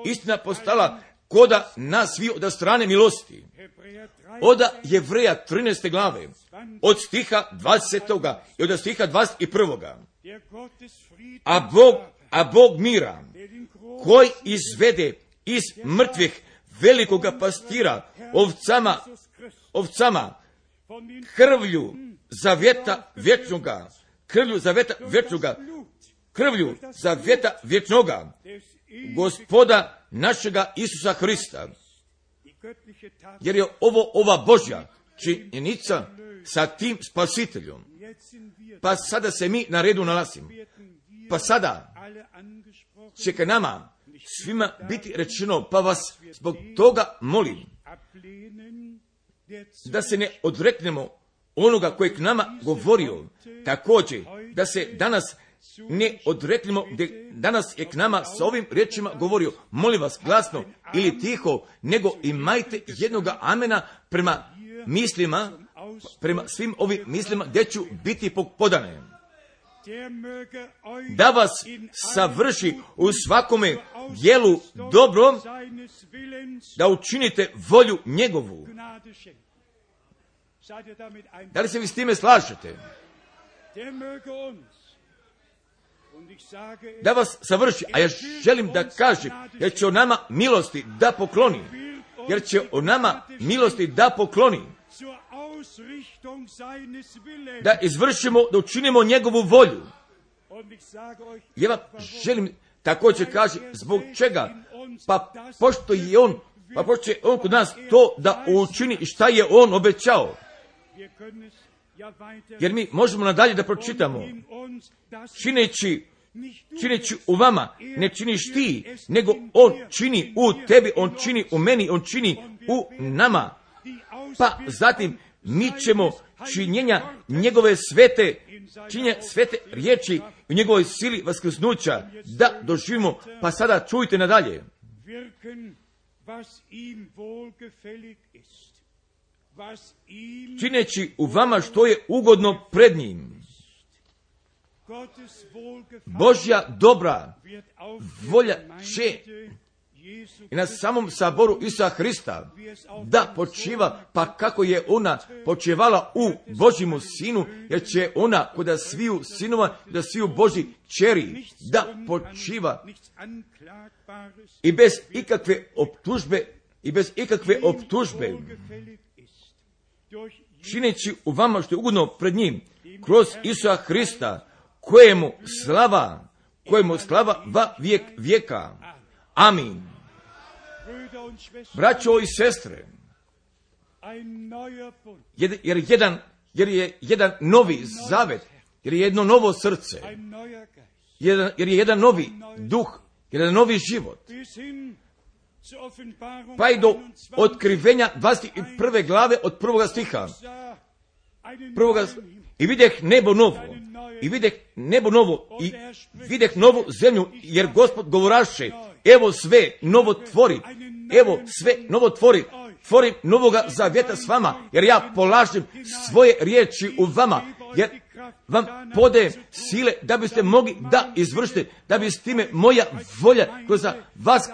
istina postala koda nas svi od strane milosti. Od Jevreja 13. glave, od stiha 20. i od stiha 21. A Bog mira, koji izvede iz mrtvih velikoga pastira ovcama krvlju zavjeta vječnoga, Gospoda našega Isusa Hrista. Jer je ova Božja činjenica sa tim spasiteljom. Pa sada se mi na redu nalazimo. Pa sada će ka nama svima biti rečeno, pa vas zbog toga molim da se ne odreknemo onoga koji k nama govorio, također da se danas ne odreknemo, danas je k nama sa ovim riječima govorio, molim vas glasno ili tiho, nego imajte jednoga amena prema mislima, prema svim ovim mislima gdje ću biti podane. Da vas savrši u svakome dijelu dobro, da učinite volju njegovu. Da li se vi s time slažete? Da vas savrši, a ja želim da kažem, jer će o nama milosti da pokloni. Jer će o nama milosti da pokloni. Da izvršimo, da učinimo njegovu volju. Ja vam želim također kaže zbog čega, pa pošto je on kod nas to da učini i šta je on obećao. Jer mi možemo nadalje da pročitamo, čineći u vama, ne činiš ti, nego on čini u tebi, on čini u meni, on čini u nama. Pa zatim mi ćemo činjenja njegove svete riječi u njegovoj sili vaskrsnuća da doživimo. Pa sada čujte nadalje. Čineći u vama što je ugodno pred njim. Božja dobra volja će i na samom saboru Isusa Hrista da počiva, pa kako je ona počevala u Božjemu sinu, jer će ona kod sviju sinova, da sviju Božji čeri, da počiva i bez ikakve optužbe, čineći u vama što je ugodno pred njim, kroz Isusa Hrista, kojemu slava va vijek vijeka. Amin. Braćo i sestre, jer je jedan novi zavet, jer je jedno novo srce, jer je jedan novi duh, jedan novi život. Pa i do otkrivenja 21. glave od 1. stiha. I videh nebo novo, i videh nebo novo, i videh novu zemlju, jer Gospod govoraše, evo sve novo tvori, evo sve novo tvori, tvorim novoga zavjeta s vama, jer ja polažem svoje riječi u vama, jer vam podajem sile da biste mogli da izvršite, da bi s time moja volja kroz vas,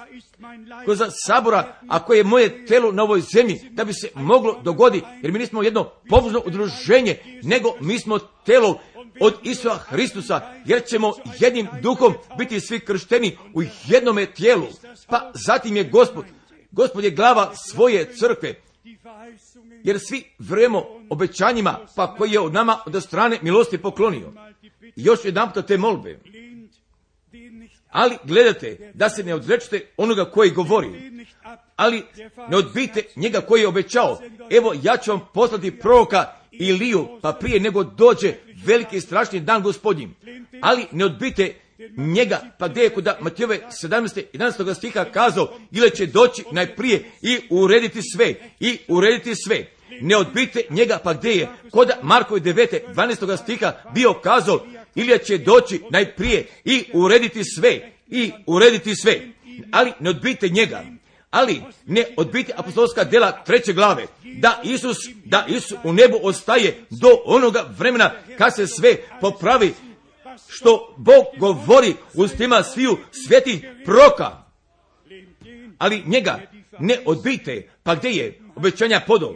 kroz sabora, a koje je moje telo na ovoj zemlji, da bi se moglo dogoditi, jer mi nismo jedno pobožno udruženje, nego mi smo telo od Isusa Hristusa, jer ćemo jednim duhom biti svi kršteni u jednome tijelu. Pa zatim je Gospod je glava svoje crkve, jer svi vjerujemo obećanjima, pa koji je od nama od strane milosti poklonio. I još jedanput te molbe. Ali gledajte da se ne odrečete onoga koji govori, ali ne odbijte njega koji je obećao. Evo, ja ću vam poslati proroka Iliju, pa prije nego dođe veliki i strašni dan Gospodnji. Ali ne odbijte njega, pa gdje je kod Matijove 17. 11. stiha kazao, ili će doći najprije i urediti sve. Ne odbijte njega, pa gdje je kod Markove 9. 12. stiha bio kazao, ili će doći najprije i urediti sve. Ali ne odbijte njega. Ali ne odbijte apostolska djela 3. glave, da Isus u nebu ostaje do onoga vremena kad se sve popravi, što Bog govori ustima sviju svetih proroka. Ali njega ne odbijte, pa gdje je obećanja podao?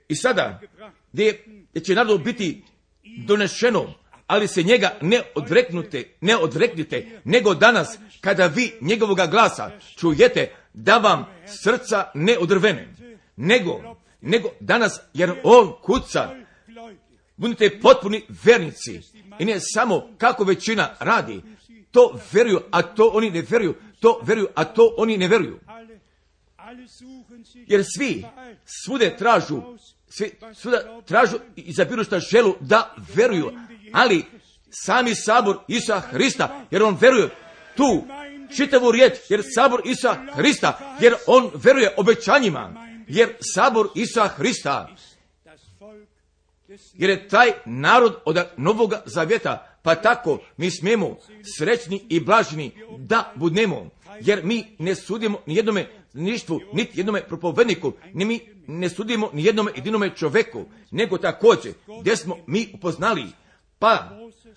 I sada, gdje će narodu biti donešeno, ali se njega ne odreknite, nego danas, kada vi njegovoga glasa čujete, da vam srca ne odrvene, nego danas, jer on kuca. Budite potpuni vernici, i ne samo kako većina radi, to vjeruju, a to oni ne vjeruju, to vjeruju, a to oni ne vjeruju. Jer svi svuda tražu i izabiru šta želu da vjeruju, ali sami sabor Isusa Hrista, jer on vjeruje tu čitavu riječ, jer sabor Isusa Hrista, jer on vjeruje obećanjima, jer sabor Isusa Hrista, jer je taj narod od Novoga Zavjeta, pa tako mi smijemo srećni i blaženi da budemo, jer mi ne sudimo ni jednome ništvu, niti jednome propovedniku, ni mi ne sudimo ni jednome jedinome čovjeku, nego također gdje smo mi upoznali, pa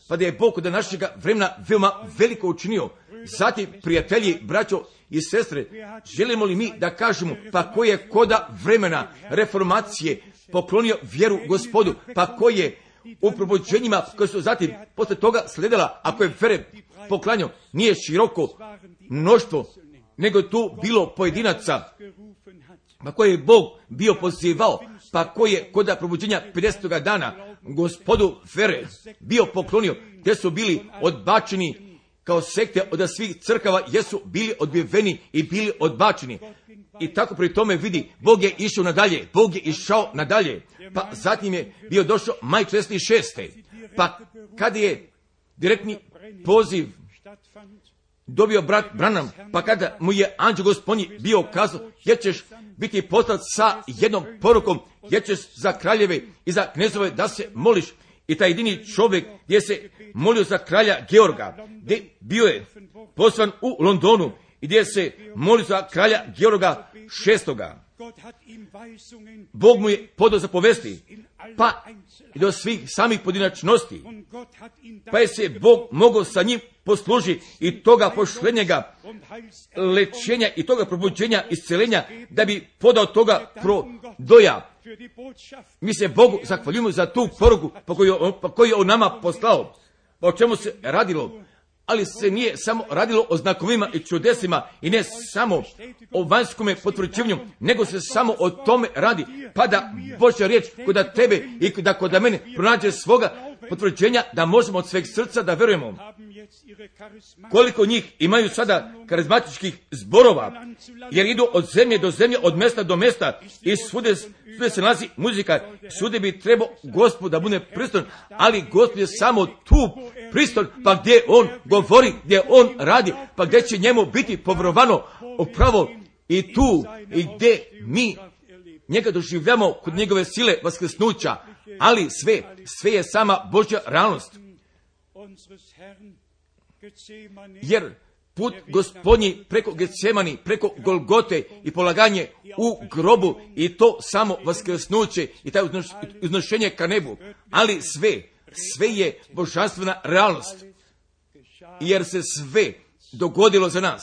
da je Bog od našega vremena veoma veliko učinio. Zatim, prijatelji, braćo i sestre, želimo li mi da kažemo, pa ko je koda vremena reformacije poklonio vjeru Gospodu, pa ko je u probuđenjima koje su zatim posle toga sledila, ako je vere poklanjao, nije široko mnoštvo, nego je tu bilo pojedinaca, pa koje je Bog bio pozivao, pa koji je koda probuđenja 50. dana Gospodu vere bio poklonio, gdje su bili odbačeni kao sekte od svih crkava, jesu bili odbijeni i bili odbačeni. I tako pri tome vidi, Bog je išao nadalje, pa zatim je bio došao maj 46. Pa kada je direktni poziv dobio brat Branham, pa kada mu je anđeo Gospodnji bio kazao, jer ćeš biti poslat sa jednom porukom, jer ćeš za kraljeve i za knezove da se moliš. I taj jedini čovjek gdje se molio za kralja Georga, gdje bio je poslan u Londonu i gdje se molio za kralja Georga VI. Bog mu je podao zapovesti, pa i do svih samih pojedinačnosti, pa je se Bog mogao sa njim poslužiti i toga pošlenjega lečenja i toga probuđenja, iscelenja, da bi podao toga prodoja. Mi se Bogu zahvaljujemo za tu poruku koju je on nama poslao. Pa o čemu se radilo? Ali se nije samo radilo o znakovima i čudesima i ne samo o vanjskome potvrđivanju, nego se samo o tome radi. Pa da Božja riječ kod tebe i da kod mene pronađe svoga potvrđenja da možemo od sveg srca da verujemo. Koliko njih imaju sada karizmatičkih zborova, jer idu od zemlje do zemlje, od mjesta do mjesta i svude se nalazi muzika. Svude bi trebao Gospod da bude priston, ali Gospod je samo tu priston, pa gdje on govori, gdje on radi, pa gdje će njemu biti povjerovano upravo i tu i gdje mi njega doživljamo kod njegove sile vaskrsnuća, ali sve je sama Božja realnost. Jer put Gospodnji preko Getsemani, preko Golgote i polaganje u grobu i to samo vaskrsnuće i taj uznošenje ka nebu, ali sve je božanstvena realnost, jer se sve dogodilo za nas.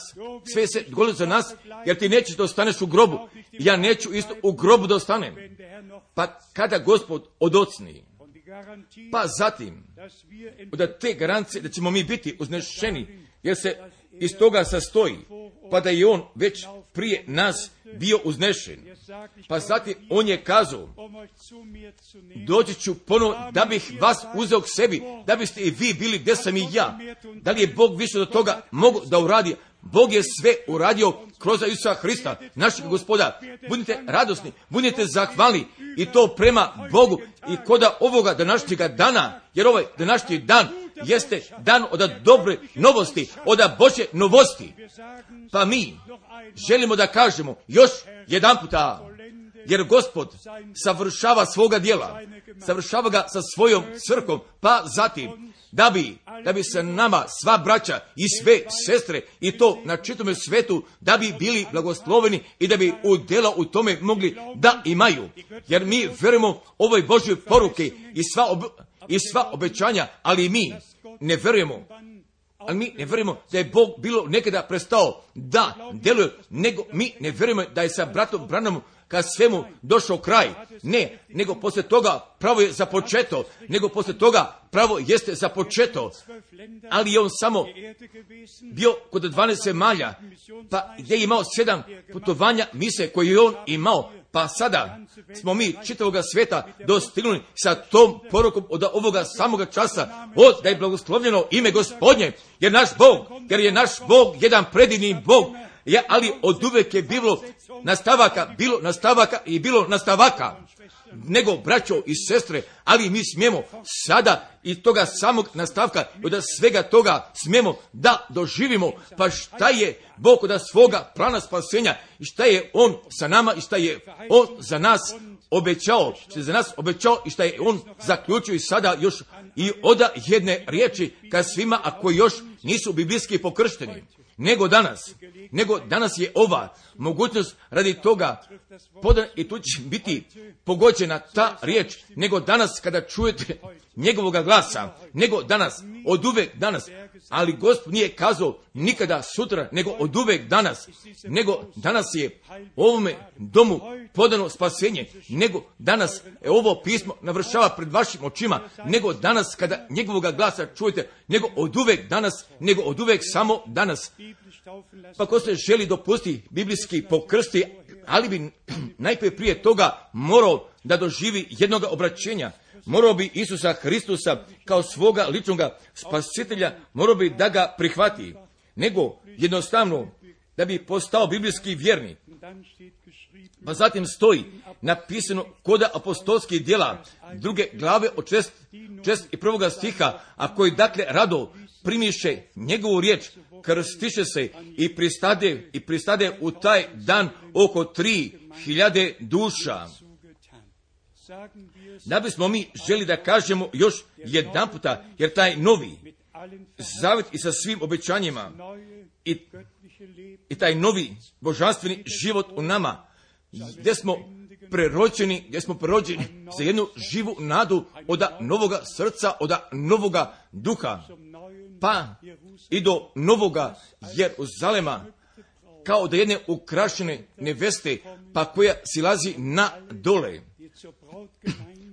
Sve se dogodilo za nas, jer ti nećeš da ostaneš u grobu. Ja neću isto u grobu da ostanem. Pa kada Gospod odocni, pa zatim, da te garancije da ćemo mi biti uznešeni, jer se iz toga sastoji, pa da je on već prije nas bio uznešen. Pa zatim on je kazao, doći ću ponovo da bih vas uzeo k sebi, da biste i vi bili gdje sam i ja. Da li je Bog više do toga mogu da uradi? Bog je sve uradio kroz Isusa Hrista, našeg Gospoda. Budite radosni, budite zahvalni i to prema Bogu i koda ovoga današnjega dana, jer ovaj današnji dan jeste dan od dobre novosti, od Božje novosti. Pa mi želimo da kažemo još jedan puta, jer Gospod savršava svoga djela, savršava ga sa svojom crkvom, pa zatim da bi se nama sva braća i sve sestre i to na čitome svetu, da bi bili blagosloveni i da bi udjela u tome mogli da imaju. Jer mi verujemo ovoj Božjoj poruke i sva obećanja, ali mi ne verujemo. Ali mi ne verujemo da je Bog bilo nekada prestao da djeluje, nego mi ne verujemo da je sa bratom Branhamom kad svemu došao kraj. Ne, nego poslije toga pravo je započeto, nego poslije toga pravo jeste započeto, ali je on samo bio kod 12 zemalja, pa gdje je imao 7 putovanja mise koje je on imao, pa sada smo mi čitavoga svijeta dostignuli sa tom porukom od ovoga samoga časa, da je blagoslovljeno ime Gospodnje, jer je naš Bog jedan predivni Bog, ali od uvek je bilo nastavaka i bilo nastavaka. Nego, braćo i sestre, ali mi smijemo sada i toga samog nastavka, od svega toga smijemo da doživimo, pa šta je Bog od svoga plana spasenja i šta je On sa nama i šta je On za nas obećao, i šta je On zaključio i sada još i oda jedne riječi ka svima, a koji još nisu biblijski pokršteni. Nego danas je ova mogućnost radi toga i tu će biti pogođena ta riječ, nego danas kada čujete njegovoga glasa, nego danas, od uvek danas, ali Gospod nije kazao nikada sutra, nego od uvek danas, nego danas je ovome domu podano spasenje, nego danas ovo pismo navršava pred vašim očima, nego danas kada njegovoga glasa čujete, nego od uvek danas, nego od uvek samo danas. Pa ko se želi dopustiti biblijski pokrsti, ali bi najprije prije toga morao da doživi jednog obraćenja, morao bi Isusa Hristusa kao svoga ličnoga spasitelja, morao bi da ga prihvati, nego jednostavno da bi postao biblijski vjernik. Pa zatim stoji napisano kod apostolskih djela 2. glave od 61. stiha, a koji dakle rado primiše njegovu riječ, krstiše se i pristade u taj dan oko 3000 duša. Da bismo mi želi da kažemo još jedan puta, jer taj novi zavet i sa svim obećanjima i taj novi božanstveni život u nama, gdje smo prerođeni za jednu živu nadu od novoga srca, od novoga duha, pa i do novoga Jeruzalema, kao da jedne ukrašene neveste, pa koja silazi na dole,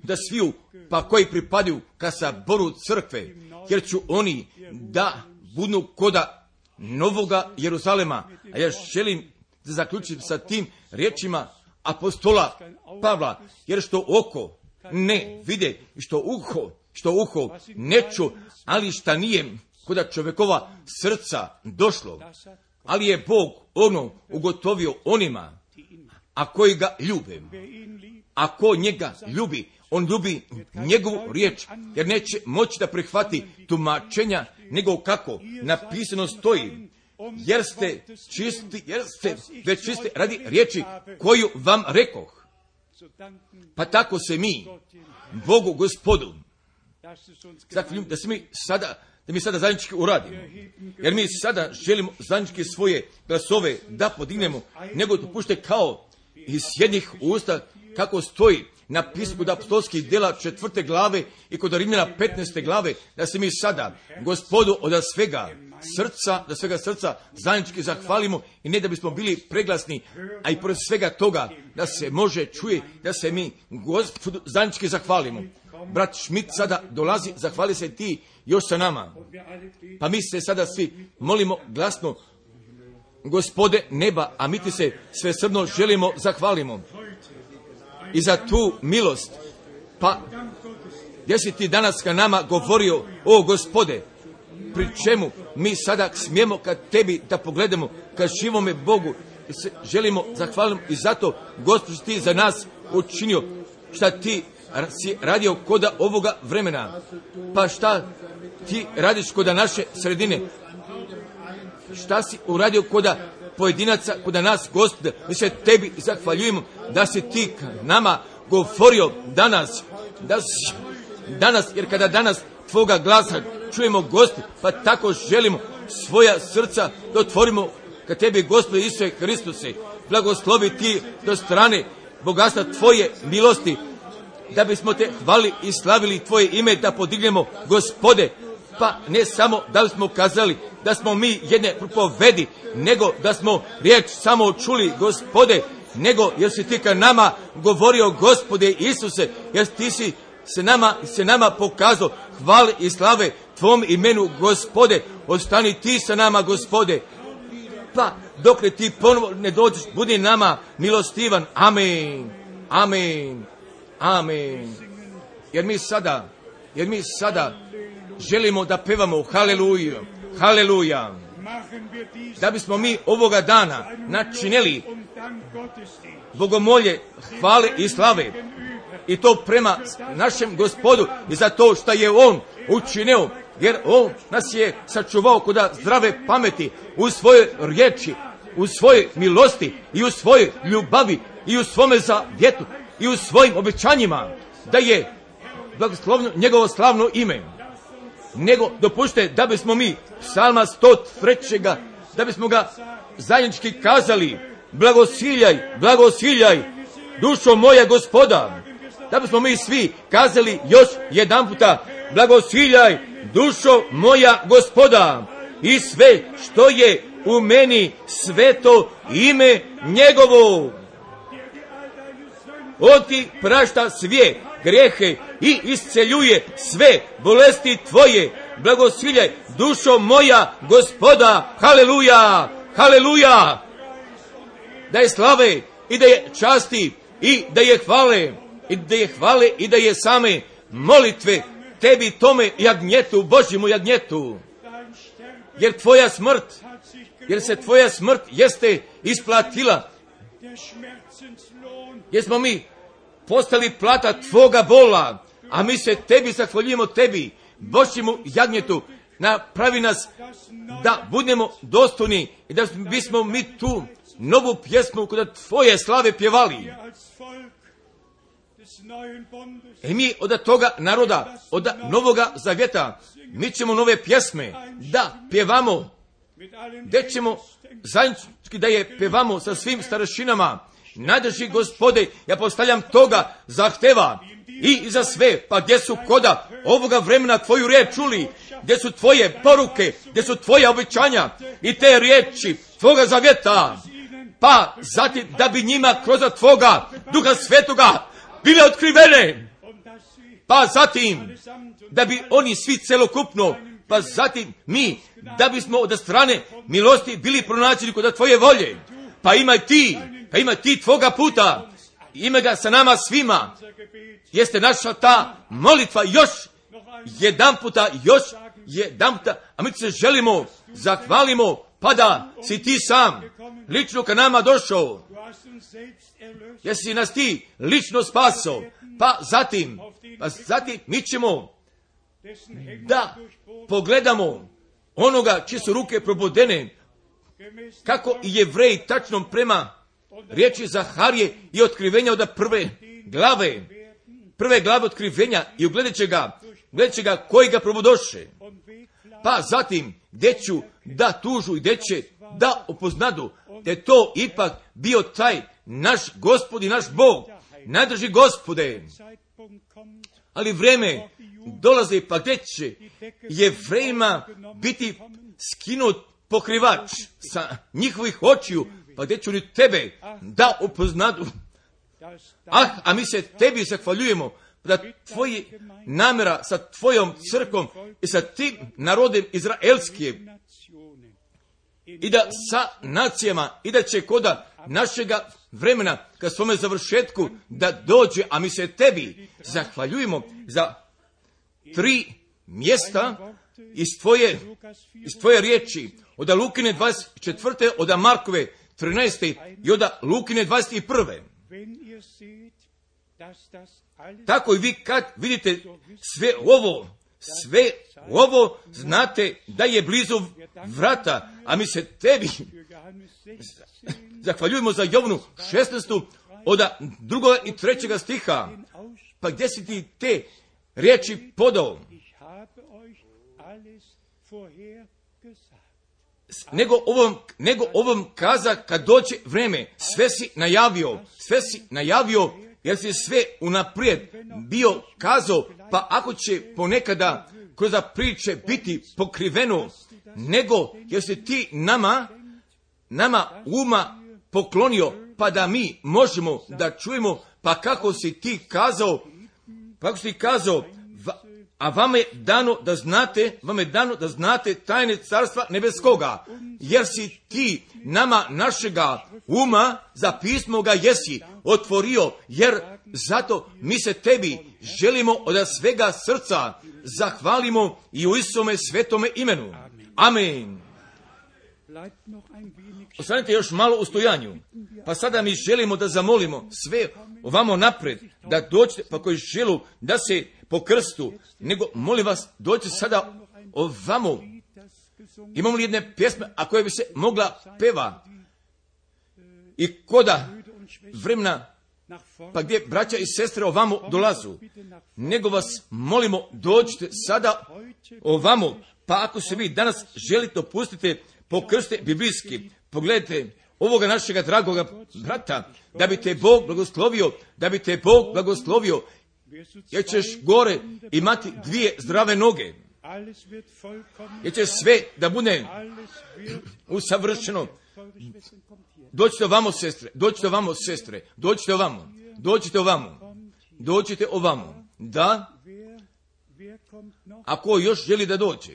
da sviju, pa koji pripadaju ka saboru crkve, jer ću oni da budu koda novoga Jeruzalema. A ja želim da zaključim sa tim riječima apostola Pavla, jer što oko ne vide i što uho što uho ne ču, ali šta nije kod čovjekova srca došlo, ali je Bog ono ugotovio onima, a koji ga ljube. Ako njega ljubi, on ljubi njegovu riječ, jer neće moći da prihvati tumačenja, nego kako napisano stoji, jer ste već čisti radi riječi koju vam rekoh. Pa tako se mi, Bogu Gospodu, zahvaljujem da mi sada zajednički uradimo, jer mi sada želimo zajednički svoje glasove da podignemo, nego dopušte kao iz jednih usta, kako stoji napisano kod apostolskih djela 4. glave i kod Rimljana 15. glave, da se mi sada Gospodu od svega srca zajednički zahvalimo, i ne da bismo bili preglasni, a i pored svega toga da se može čuje da se mi Gospodu zajednički zahvalimo. Brat Schmidt sada dolazi, zahvali se ti još sa nama. Pa mi se sada svi molimo glasno, Gospode neba, a mi ti se svesrdno želimo zahvalimo i za tu milost. Pa gdje si ti danas ka nama govorio, o Gospode, pri čemu mi sada smijemo kad tebi da pogledamo, kad živome Bogu se želimo zahvaliti, i zato Gospod ti za nas učinio šta ti si radio koda ovoga vremena. Pa šta ti radiš koda naše sredine? Šta si uradio koda pojedinaca, koda nas, Gospode? Mi se tebi zahvaljujemo da si ti nama govorio danas, jer kada danas tvoga glasa čujemo, Gospode, pa tako želimo svoja srca da otvorimo ka tebi, Gospode Isuse Hristuse. Blagoslovi ti do strane bogatstva tvoje milosti, da bismo te hvali i slavili tvoje ime, da podignemo, Gospode, pa ne samo da smo kazali da smo mi jedne propovedi, nego da smo riječ samo čuli, Gospode, nego jer si ti ka nama govorio, Gospode Isuse, jer ti si se nama pokazao hvale i slave tvom imenu, Gospode. Ostani ti sa nama, Gospode, pa dok ti ponovo ne dođeš, budi nama milostivan. Amen, amen, amen. Jer mi sada želimo da pevamo haleluja, haleluja, da bismo mi ovoga dana načinili bogomolje, hvale i slave, i to prema našem Gospodu i za to što je On učinio, jer On nas je sačuvao koda zdrave pameti u svojoj riječi, u svojoj milosti i u svojoj ljubavi i u svome zavjetu i u svojim obećanjima, da je blagoslovno njegovo slavno ime. Nego dopušte da bismo mi psalma 103. da bismo ga zajednički kazali, blagosiljaj, blagosiljaj, dušo moja Gospoda. Da bismo mi svi kazali još jedan puta, blagosiljaj, dušo moja Gospoda, i sve što je u meni, sveto ime njegovo. On ti prašta sve grijehe i isceljuje sve bolesti tvoje. Blagosiljaj, dušo moja Gospoda. Haleluja, haleluja. Da je slave i da je časti i da je hvale i da je same molitve tebi, tome jagnjetu, Božjemu jagnjetu. Jer se tvoja smrt jeste isplatila. Jer smo mi postali plata tvoga bola, a mi se tebi zahvaljujemo, tebi, Božjemu jagnjetu. Napravi nas da budemo dostojni i da bismo mi tu novu pjesmu kod tvoje slave pjevali. I mi od toga naroda, od novoga zavjeta, mi ćemo nove pjesme da pjevamo, gdje ćemo zajednički da je pjevamo sa svim starešinama. Najdrži Gospode, ja postavljam toga zahteva i za sve, pa gdje su koda ovoga vremena tvoju riječ čuli, gdje su tvoje poruke, gdje su tvoje obećanja i te riječi tvoga zavjeta, pa zatim da bi njima kroz tvoga Duha Svetoga bile otkrivene, pa zatim da bi oni svi celokupno, pa zatim mi da bismo od strane milosti bili pronađeni kod tvoje volje. Pa imaj ti tvoga puta, ima ga sa nama svima. Jeste naša ta molitva još još jedanputa, a mi se želimo, zahvalimo, pa da si ti sam lično ka nama došao, jer si nas ti lično spasao, pa zatim mi ćemo da pogledamo onoga čije su ruke probodene, kako i Jevreji tačno prema riječi Zaharije i otkrivenja od prve glave otkrivenja i ugledat će ga koji ga probodoše. Pa zatim gdje ću da tužu i gdje će da upoznadu da je to ipak bio taj naš Gospod i naš Bog, najdrži Gospode. Ali vrijeme dolazi pa gdje će Jevrejima biti skinut pokrivač sa njihovih očiju, pa gdje će oni tebe da upoznadu. A mi se tebi zahvaljujemo da tvoji namjera sa tvojom crkvom i sa tim narodem izraelskim i da sa nacijama i da će koda našega vremena ka svome završetku da dođe, a mi se tebi zahvaljujemo za 3 mjesta iz tvoje riječi, od Lukine 24. od Markove 13. i od Lukine 21. Tako i vi kad vidite sve ovo znate da je blizu vrata, a mi se tebi zahvaljujemo za Jovanu 16. od 2. i 3. stiha. Pa gdje si ti te riječi podao? Nego ovom kaza kad dođe vreme, sve si najavio, jer si sve unaprijed bio kazao, pa ako će ponekada kroz priče biti pokriveno, nego jer si ti nama uma poklonio, pa da mi možemo da čujemo, pa kako si ti kazao, a vama je dano da znate tajne carstva nebeskoga, jer si ti nama našega uma za pismo ga jesi otvorio, jer zato mi se tebi želimo od svega srca zahvalimo i u Isome svetome imenu. Amen. Ostanite još malo u stojanju, pa sada mi želimo da zamolimo sve ovamo napred, da dođete, pa koji želu da se po krstu, nego molim vas, dođite sada ovamo. Imamo li jedne pjesme, a koje bi se mogla peva i koda vremena, pa gdje braća i sestre ovamo dolazu, nego vas molimo, dođite sada ovamo, pa ako se vi danas želite opustite po krste biblijski, pogledajte ovoga našega dragoga brata, da bi te Bog blagoslovio, jer ćeš gore imati 2 zdrave noge, jer će sve da bude usavršeno. Dođite ovamo. Da, ako još želi da dođe.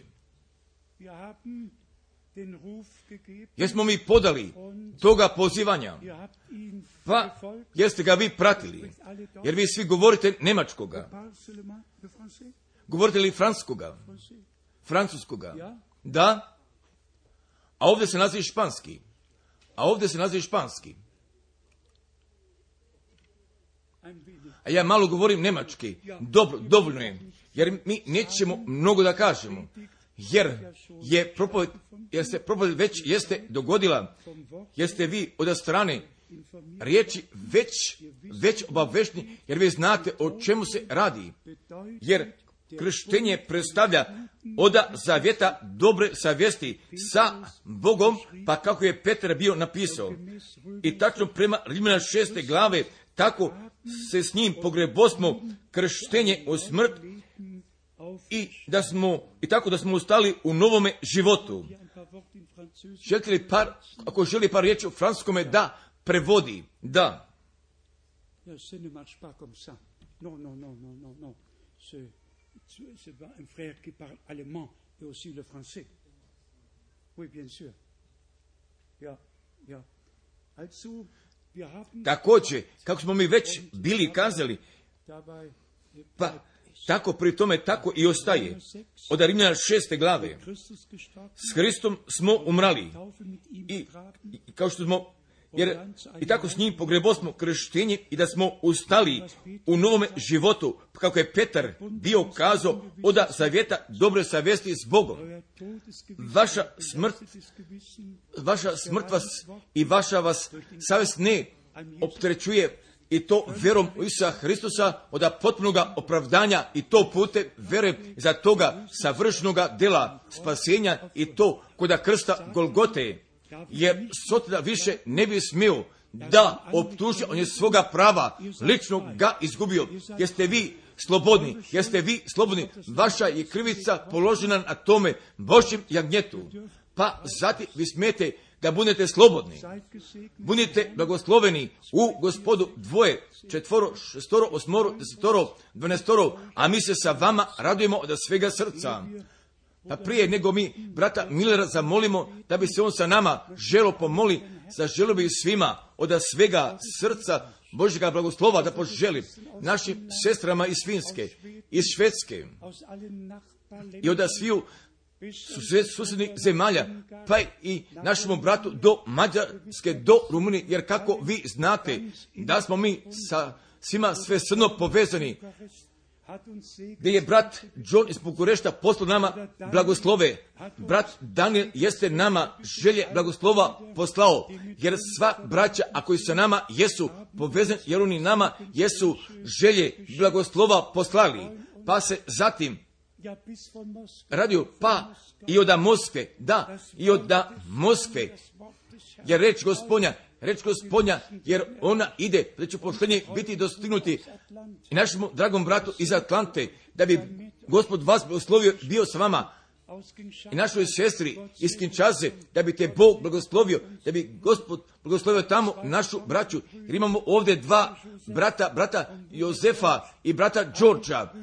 Jer smo mi podali toga pozivanja, pa jeste ga vi pratili, jer vi svi govorite njemačkoga. Govorite li francuskoga? Da, a ovdje se naziva španski. A ja malo govorim njemački, dovoljno je, jer mi nećemo mnogo da kažemo. Jer se propoved već jeste dogodila, jer ste vi od strane riječi već obavešteni, jer vi znate o čemu se radi. Jer krštenje predstavlja od zavjeta dobre savjesti sa Bogom, pa kako je Petar bio napisao. I tačno prema Rimljana 6. glave, tako se s njim pogrebosmo krštenje u smrt, i tako da smo ustali u novome životu. Želite li ako želi par riječi u francuskome da prevodi? Da. Također, kako smo mi već bili kazali, Pa tako pri tome tako i ostaje. Od Rimljana 6. glave. S Hristom smo umrali. I kao što smo, jer i tako s njim pogrebosmo krštenje i da smo ustali u novome životu, kako je Petar bio kazao, oda zavjeta dobre savjesti s Bogom. Vaša smrt vas i vaša vas savjest ne opterećuje, i to vjerom u Isusa Hristusa od potpunoga opravdanja, i to putem vjere za toga savršenoga dela spasenja, i to kod krsta Golgote, jer Sotona više ne bi smio da optuži, on je svoga prava lično ga izgubio. Jeste vi slobodni, vaša je krivica položena na tome Božjem jagnjetu, pa zatim vi smijete da budete slobodni. Budite blagosloveni u Gospodu 2, 4, 6, 8, 10, 12, a mi se sa vama radujemo od svega srca. Pa prije nego mi brata Millera zamolimo da bi se on sa nama želo pomoli, zaželio bi svima od svega srca Božjega blagoslova da poželi našim sestrama iz Finske, iz Švedske i od sviju susjednih zemalja, pa i našemu bratu do Mađarske, do Rumunije, jer kako vi znate da smo mi sa svima svesrdno povezani, gdje je brat John iz Bukurešta poslao nama blagoslove. Brat Daniel jeste nama želje blagoslova poslao, jer sva braća, a koji sa nama jesu povezani, jer oni nama jesu želje blagoslova poslali. Pa se zatim radio, pa i od Moskve, i od Moskve, jer reč Gospodnja, jer ona ide, da će poštenje biti dostignuti i našemu dragom bratu iz Atlante, da bi Gospod vas blagoslovio, bio sa vama, i našoj sestri iz Kinčaze, da bi te Bog blagoslovio, da bi Gospod blagoslovio tamo našu braću, jer imamo ovdje dva brata Jozefa i brata Đorđa,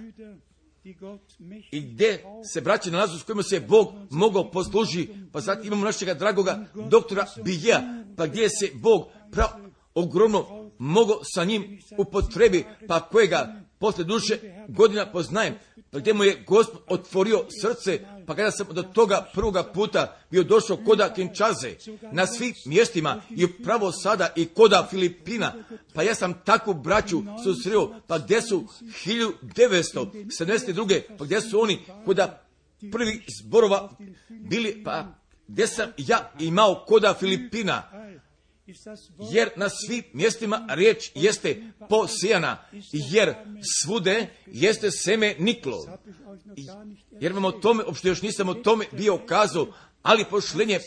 i gdje se braće nalazu s kojima se Bog mogao posluži. Pa zatim imamo našega dragoga doktora Bijeja, pa gdje se Bog ogromno mogao sa njim upotrebi, pa kojega posle duše godina poznajem, pa gdje mu je Gospod otvorio srce, pa kada sam do toga prvoga puta bio došao koda Kinčaze, na svim mjestima, i upravo sada i koda Filipina, pa ja sam takvu braću susreo, pa gdje su 1972. pa gdje su oni koda prvih zborova bili, pa gdje sam ja imao koda Filipina, jer na svim mjestima riječ jeste posijana, jer svude jeste seme niklo. Jer vam o tome, uopšte još nisam o tome bio kazao, ali pošlenje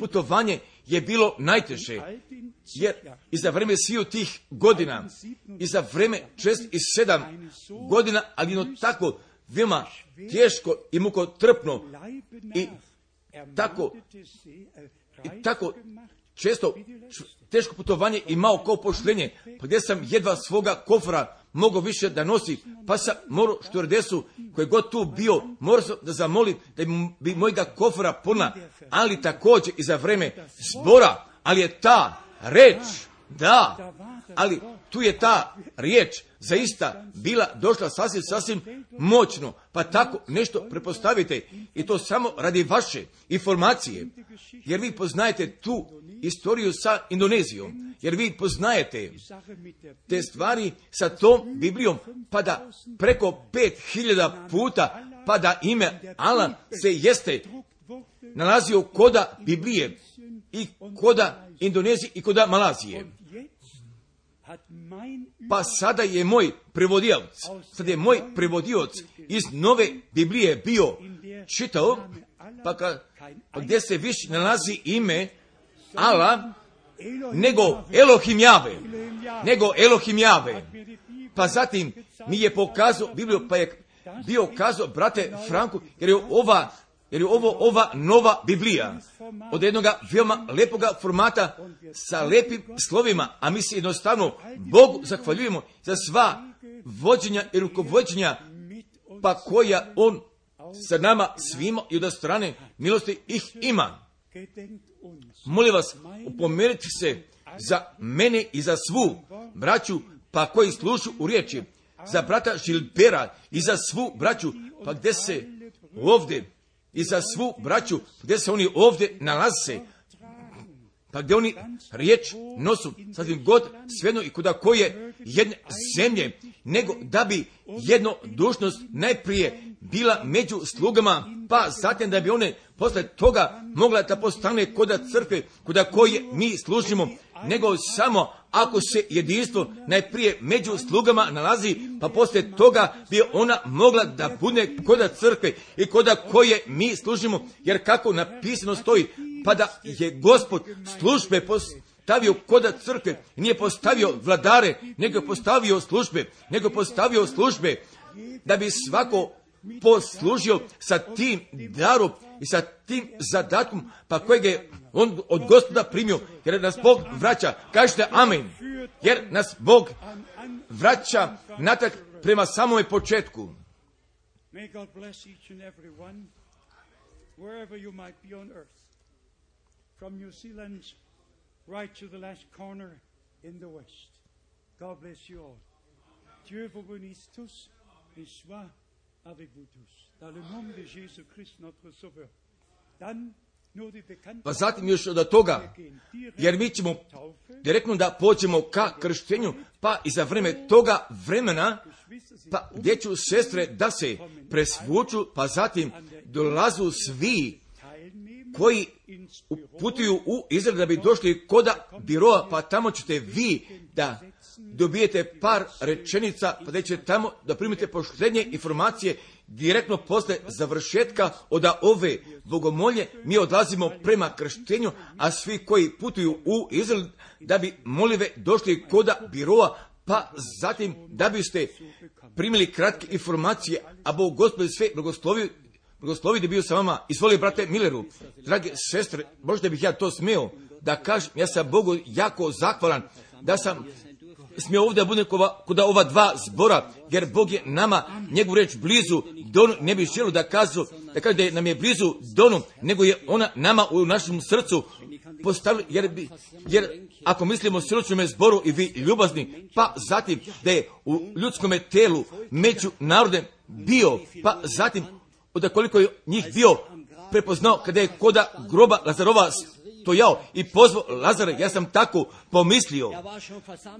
putovanje je bilo najteže, jer i za vreme sviju tih godina, i za vreme 6 i 7 godina, ali jedno tako veoma teško i mukotrpno, i tako često teško putovanje imao kao pošlenje, pa gdje sam jedva svoga kofra mogao više da nosi, pa sam morao štuardesu koji god tu bio, morao sam da zamolim da bi mojega kofra puna, ali također i za vreme zbora, ali je ta reč, ali tu je ta riječ zaista bila došla sasvim moćno, pa tako nešto prepostavite, i to samo radi vaše informacije, jer vi poznajete tu istoriju sa Indonezijom, jer vi poznajete te stvari sa tom Biblijom, pa da preko 5000 puta, pa da ime Alan se jeste nalazio koda Biblije i koda Indonezije i koda Malazije. Pa sada je moj prevodioc iz nove Biblije bio čitao, pa gdje se više nalazi ime Allah nego Elohim Jave. Pa zatim mi je pokazao Bibliju, pa je bio kazao brate Franku, jer je ova nova Biblija od jednoga veoma lepoga formata sa lepim slovima, a mi se jednostavno Bogu zahvaljujemo za sva vođenja i rukovođenja, pa koja on sa nama svima i od strane milosti ih ima. Molim vas, upomenite se za mene i za svu braću, pa koji slušu u riječi, za brata Žilbera i za svu braću, pa gdje se ovdje, i za svu braću, gdje se oni ovdje nalaze, pa gdje oni riječ nosu, sasvim god svejedno i kuda koje jedne zemlje, nego da bi jedno dužnost najprije bila među slugama, pa zatim da bi one posle toga mogla da postane koda crkve, kuda koje mi služimo, nego samo ako se jedinstvo najprije među slugama nalazi, pa poslije toga bi ona mogla da bude koda crkve i koda koje mi služimo, jer kako napisano stoji, pa da je Gospod službe postavio koda crkve, nije postavio vladare, nego postavio službe, da bi svako poslužio sa tim darom i sa tim zadatkom, pa kojeg je on od Gospoda primio, jer nas Bog vraća, kažete amen, jer nas Bog vraća natrag prema samome početku. May God bless each and every one, wherever you might be on earth, from New Zealand right to the last corner in the west. God bless you all. Dieu vous bénisse tous et soit avec vous tous. Dans le nom de Jésus-Christ, notre Sauveur. Dann nur die bekannte... Pa zatim još od toga, jer mi ćemo direktno da pođemo ka krštenju, pa i za vreme toga vremena, pa gdje ću sestre da se presvuču, pa zatim dolazu svi koji putuju u Izrael da bi došli koda biroa, pa tamo ćete vi da dobijete par rečenica, pa da ćete tamo da primite posljednje informacije direktno posle završetka od ove bogomolje. Mi odlazimo prema krštenju, a svi koji putuju u Izrael da bi molive došli koda biroa, pa zatim da biste primili kratke informacije, a Bog Gospod sve blagoslovi da bio sa vama. Izvoli, brate Milleru, drage sestre, možda bih ja to smio da kažem, ja sam Bogu jako zahvalan da sam smio ovdje da budem kod ova dva zbora, jer Bog je nama njegovu reč blizu donu, ne bih želio da kaže da nam je blizu donu, nego je ona nama u našem srcu postavili, jer ako mislimo o srčnome zboru i vi ljubazni, pa zatim da je u ljudskom telu među narodem bio, pa zatim od koliko je njih bio prepoznao kada je koda groba Lazarova stojao i pozvao Lazara, ja sam tako pomislio.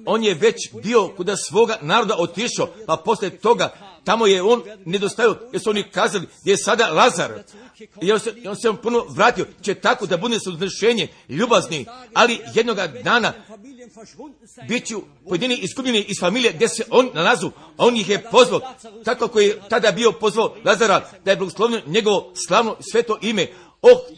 On je već bio kuda svoga naroda otišao, pa poslije toga tamo je on nedostajao, jer su oni kazali gdje je sada Lazar. I on se ponovno vratio, će tako da bude suznešenje ljubazni, ali jednoga dana bit ću pojedini iskupljeni iz familije gdje se on nalazu, a on ih je pozvao, tako kako je tada bio pozvao Lazara, da je blagoslovljeno njegovo slavno sveto ime.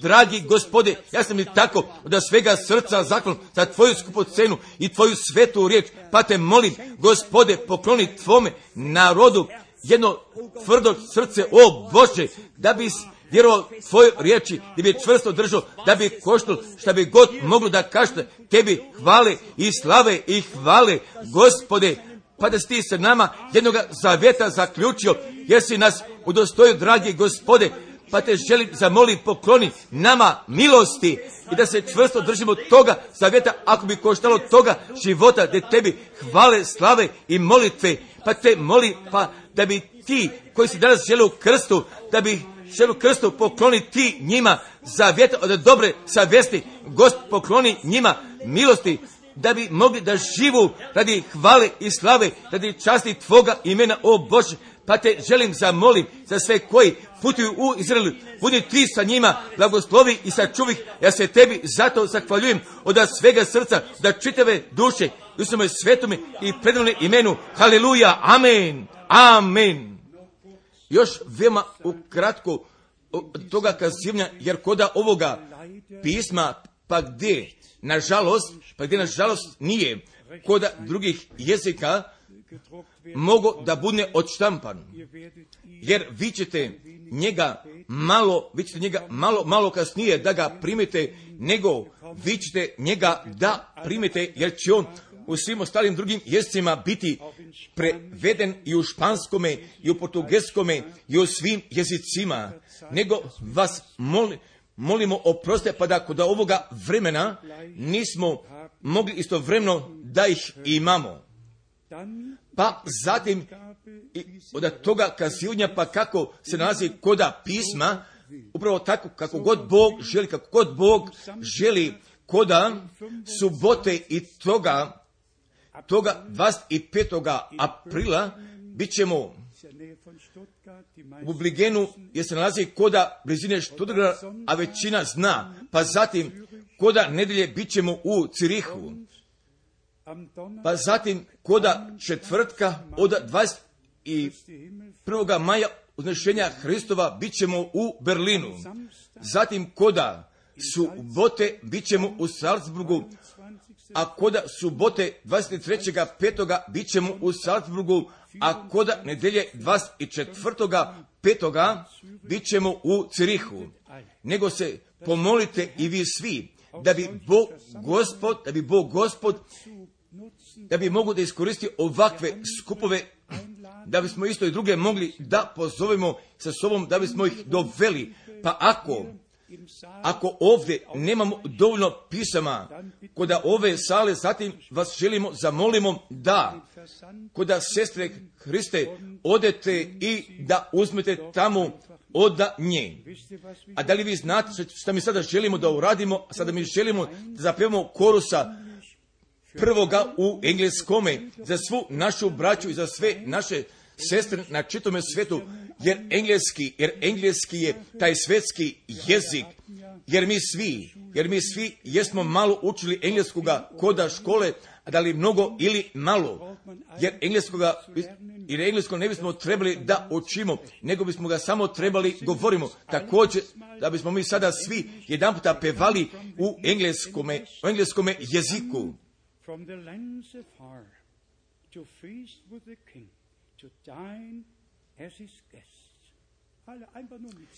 Dragi Gospode, ja sam ti tako od svega srca zahvalan za tvoju skupocenu i tvoju svetu riječ, pa te molim, Gospode, pokloni tvome narodu jedno tvrdo srce, o Bože, da bi vjerovao tvojoj riječi, da bi čvrsto držao, da bi koštalo šta bi god moglo da kažete tebi hvale i slave i hvale, Gospode, pa da si ti sa nama jednoga zaveta zaključio, jer si nas udostojio, dragi Gospode, pa te želim zamoliti, pokloni nama milosti i da se čvrsto držimo toga zavjeta, ako bi koštalo toga života, da tebi hvale, slave i molitve, pa te molim, pa da bi ti koji si danas žele u krstu, da bi žele u krstu, pokloni ti njima zavjeta od dobre savjesti, Gospod, pokloni njima milosti, da bi mogli da živu radi hvale i slave, radi časti tvoga imena, o Bože. Pa te želim zamolim za sve koji putuju u Izraelu, budi ti sa njima, blagoslovi i sačuvi. Ja se tebi zato zahvaljujem od svega srca, da čitave duše u svome svetome i predivnom imenu. Haleluja, amen, amen. Još veoma ukratko od toga kazivanja, jer koda ovoga pisma, pa gdje nažalost nije koda drugih jezika mogo da bude odštampan, jer vi ćete njega malo kasnije da ga primite, nego vi ćete njega da primite, jer će on u svim ostalim drugim jezicima biti preveden i u španskome, i u portugelskome, i u svim jezicima. Nego vas molimo oproste, pa da kod ovoga vremena nismo mogli istovremeno da ih imamo. Pa zatim od toga kazivanja pa kako se nalazi koda pisma, upravo tako kako god Bog želi, koda subote i toga 25. aprila bit ćemo u Bligenu, jer se nalazi koda blizine Stuttgarta, a većina zna, pa zatim koda nedelje bit ćemo u Cirihu, pa zatim koda četvrtka od 21. maja uznešenja Hristova bit ćemo u Berlinu, zatim koda subote bit ćemo u Salzburgu, a koda subote 23.5. bit ćemo u Salzburgu, a koda nedelje 24.5. bit ćemo u Cirihu. Nego se pomolite i vi svi, da bi Bog Gospod mogu da iskoristi ovakve skupove, da bismo isto i druge mogli da pozovemo sa sobom, da bismo ih doveli. Pa ako ovdje nemamo dovoljno pisama koda ove sale, zatim vas zamolimo da koda sestre Hriste odete i da uzmete tamo od nje. A da li vi znate što mi sada želimo da uradimo? Sada mi želimo da zapevamo korusa prvoga u engleskome za svu našu braću i za sve naše sestre na čitome svetu, jer engleski je taj svetski jezik, jer mi svi jesmo malo učili engleskoga koda škole, a da li mnogo ili malo, jer englesko ne bismo trebali da učimo, nego bismo ga samo trebali govorimo. Također, da bismo mi sada svi jedan puta pevali u engleskome jeziku. From the lands afar to feast with the king, to dine as his guest.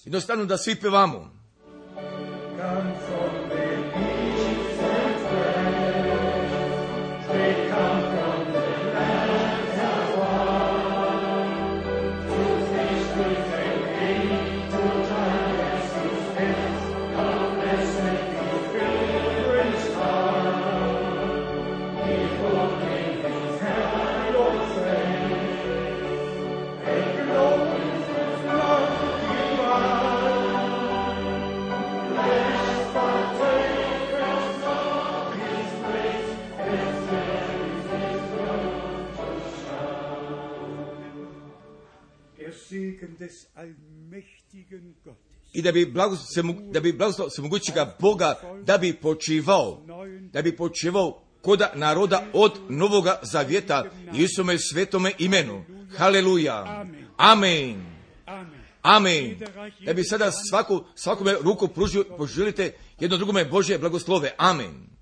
Jednostavno da svi pevamo. I da bi blagoslov svemogućega Boga da bi počivao koda naroda od Novoga Zavjeta Isome svetome imenu. Haleluja. Amen. Amen. Da bi sada svakome ruku pružio, poželite jedno drugome Božje blagoslove. Amen.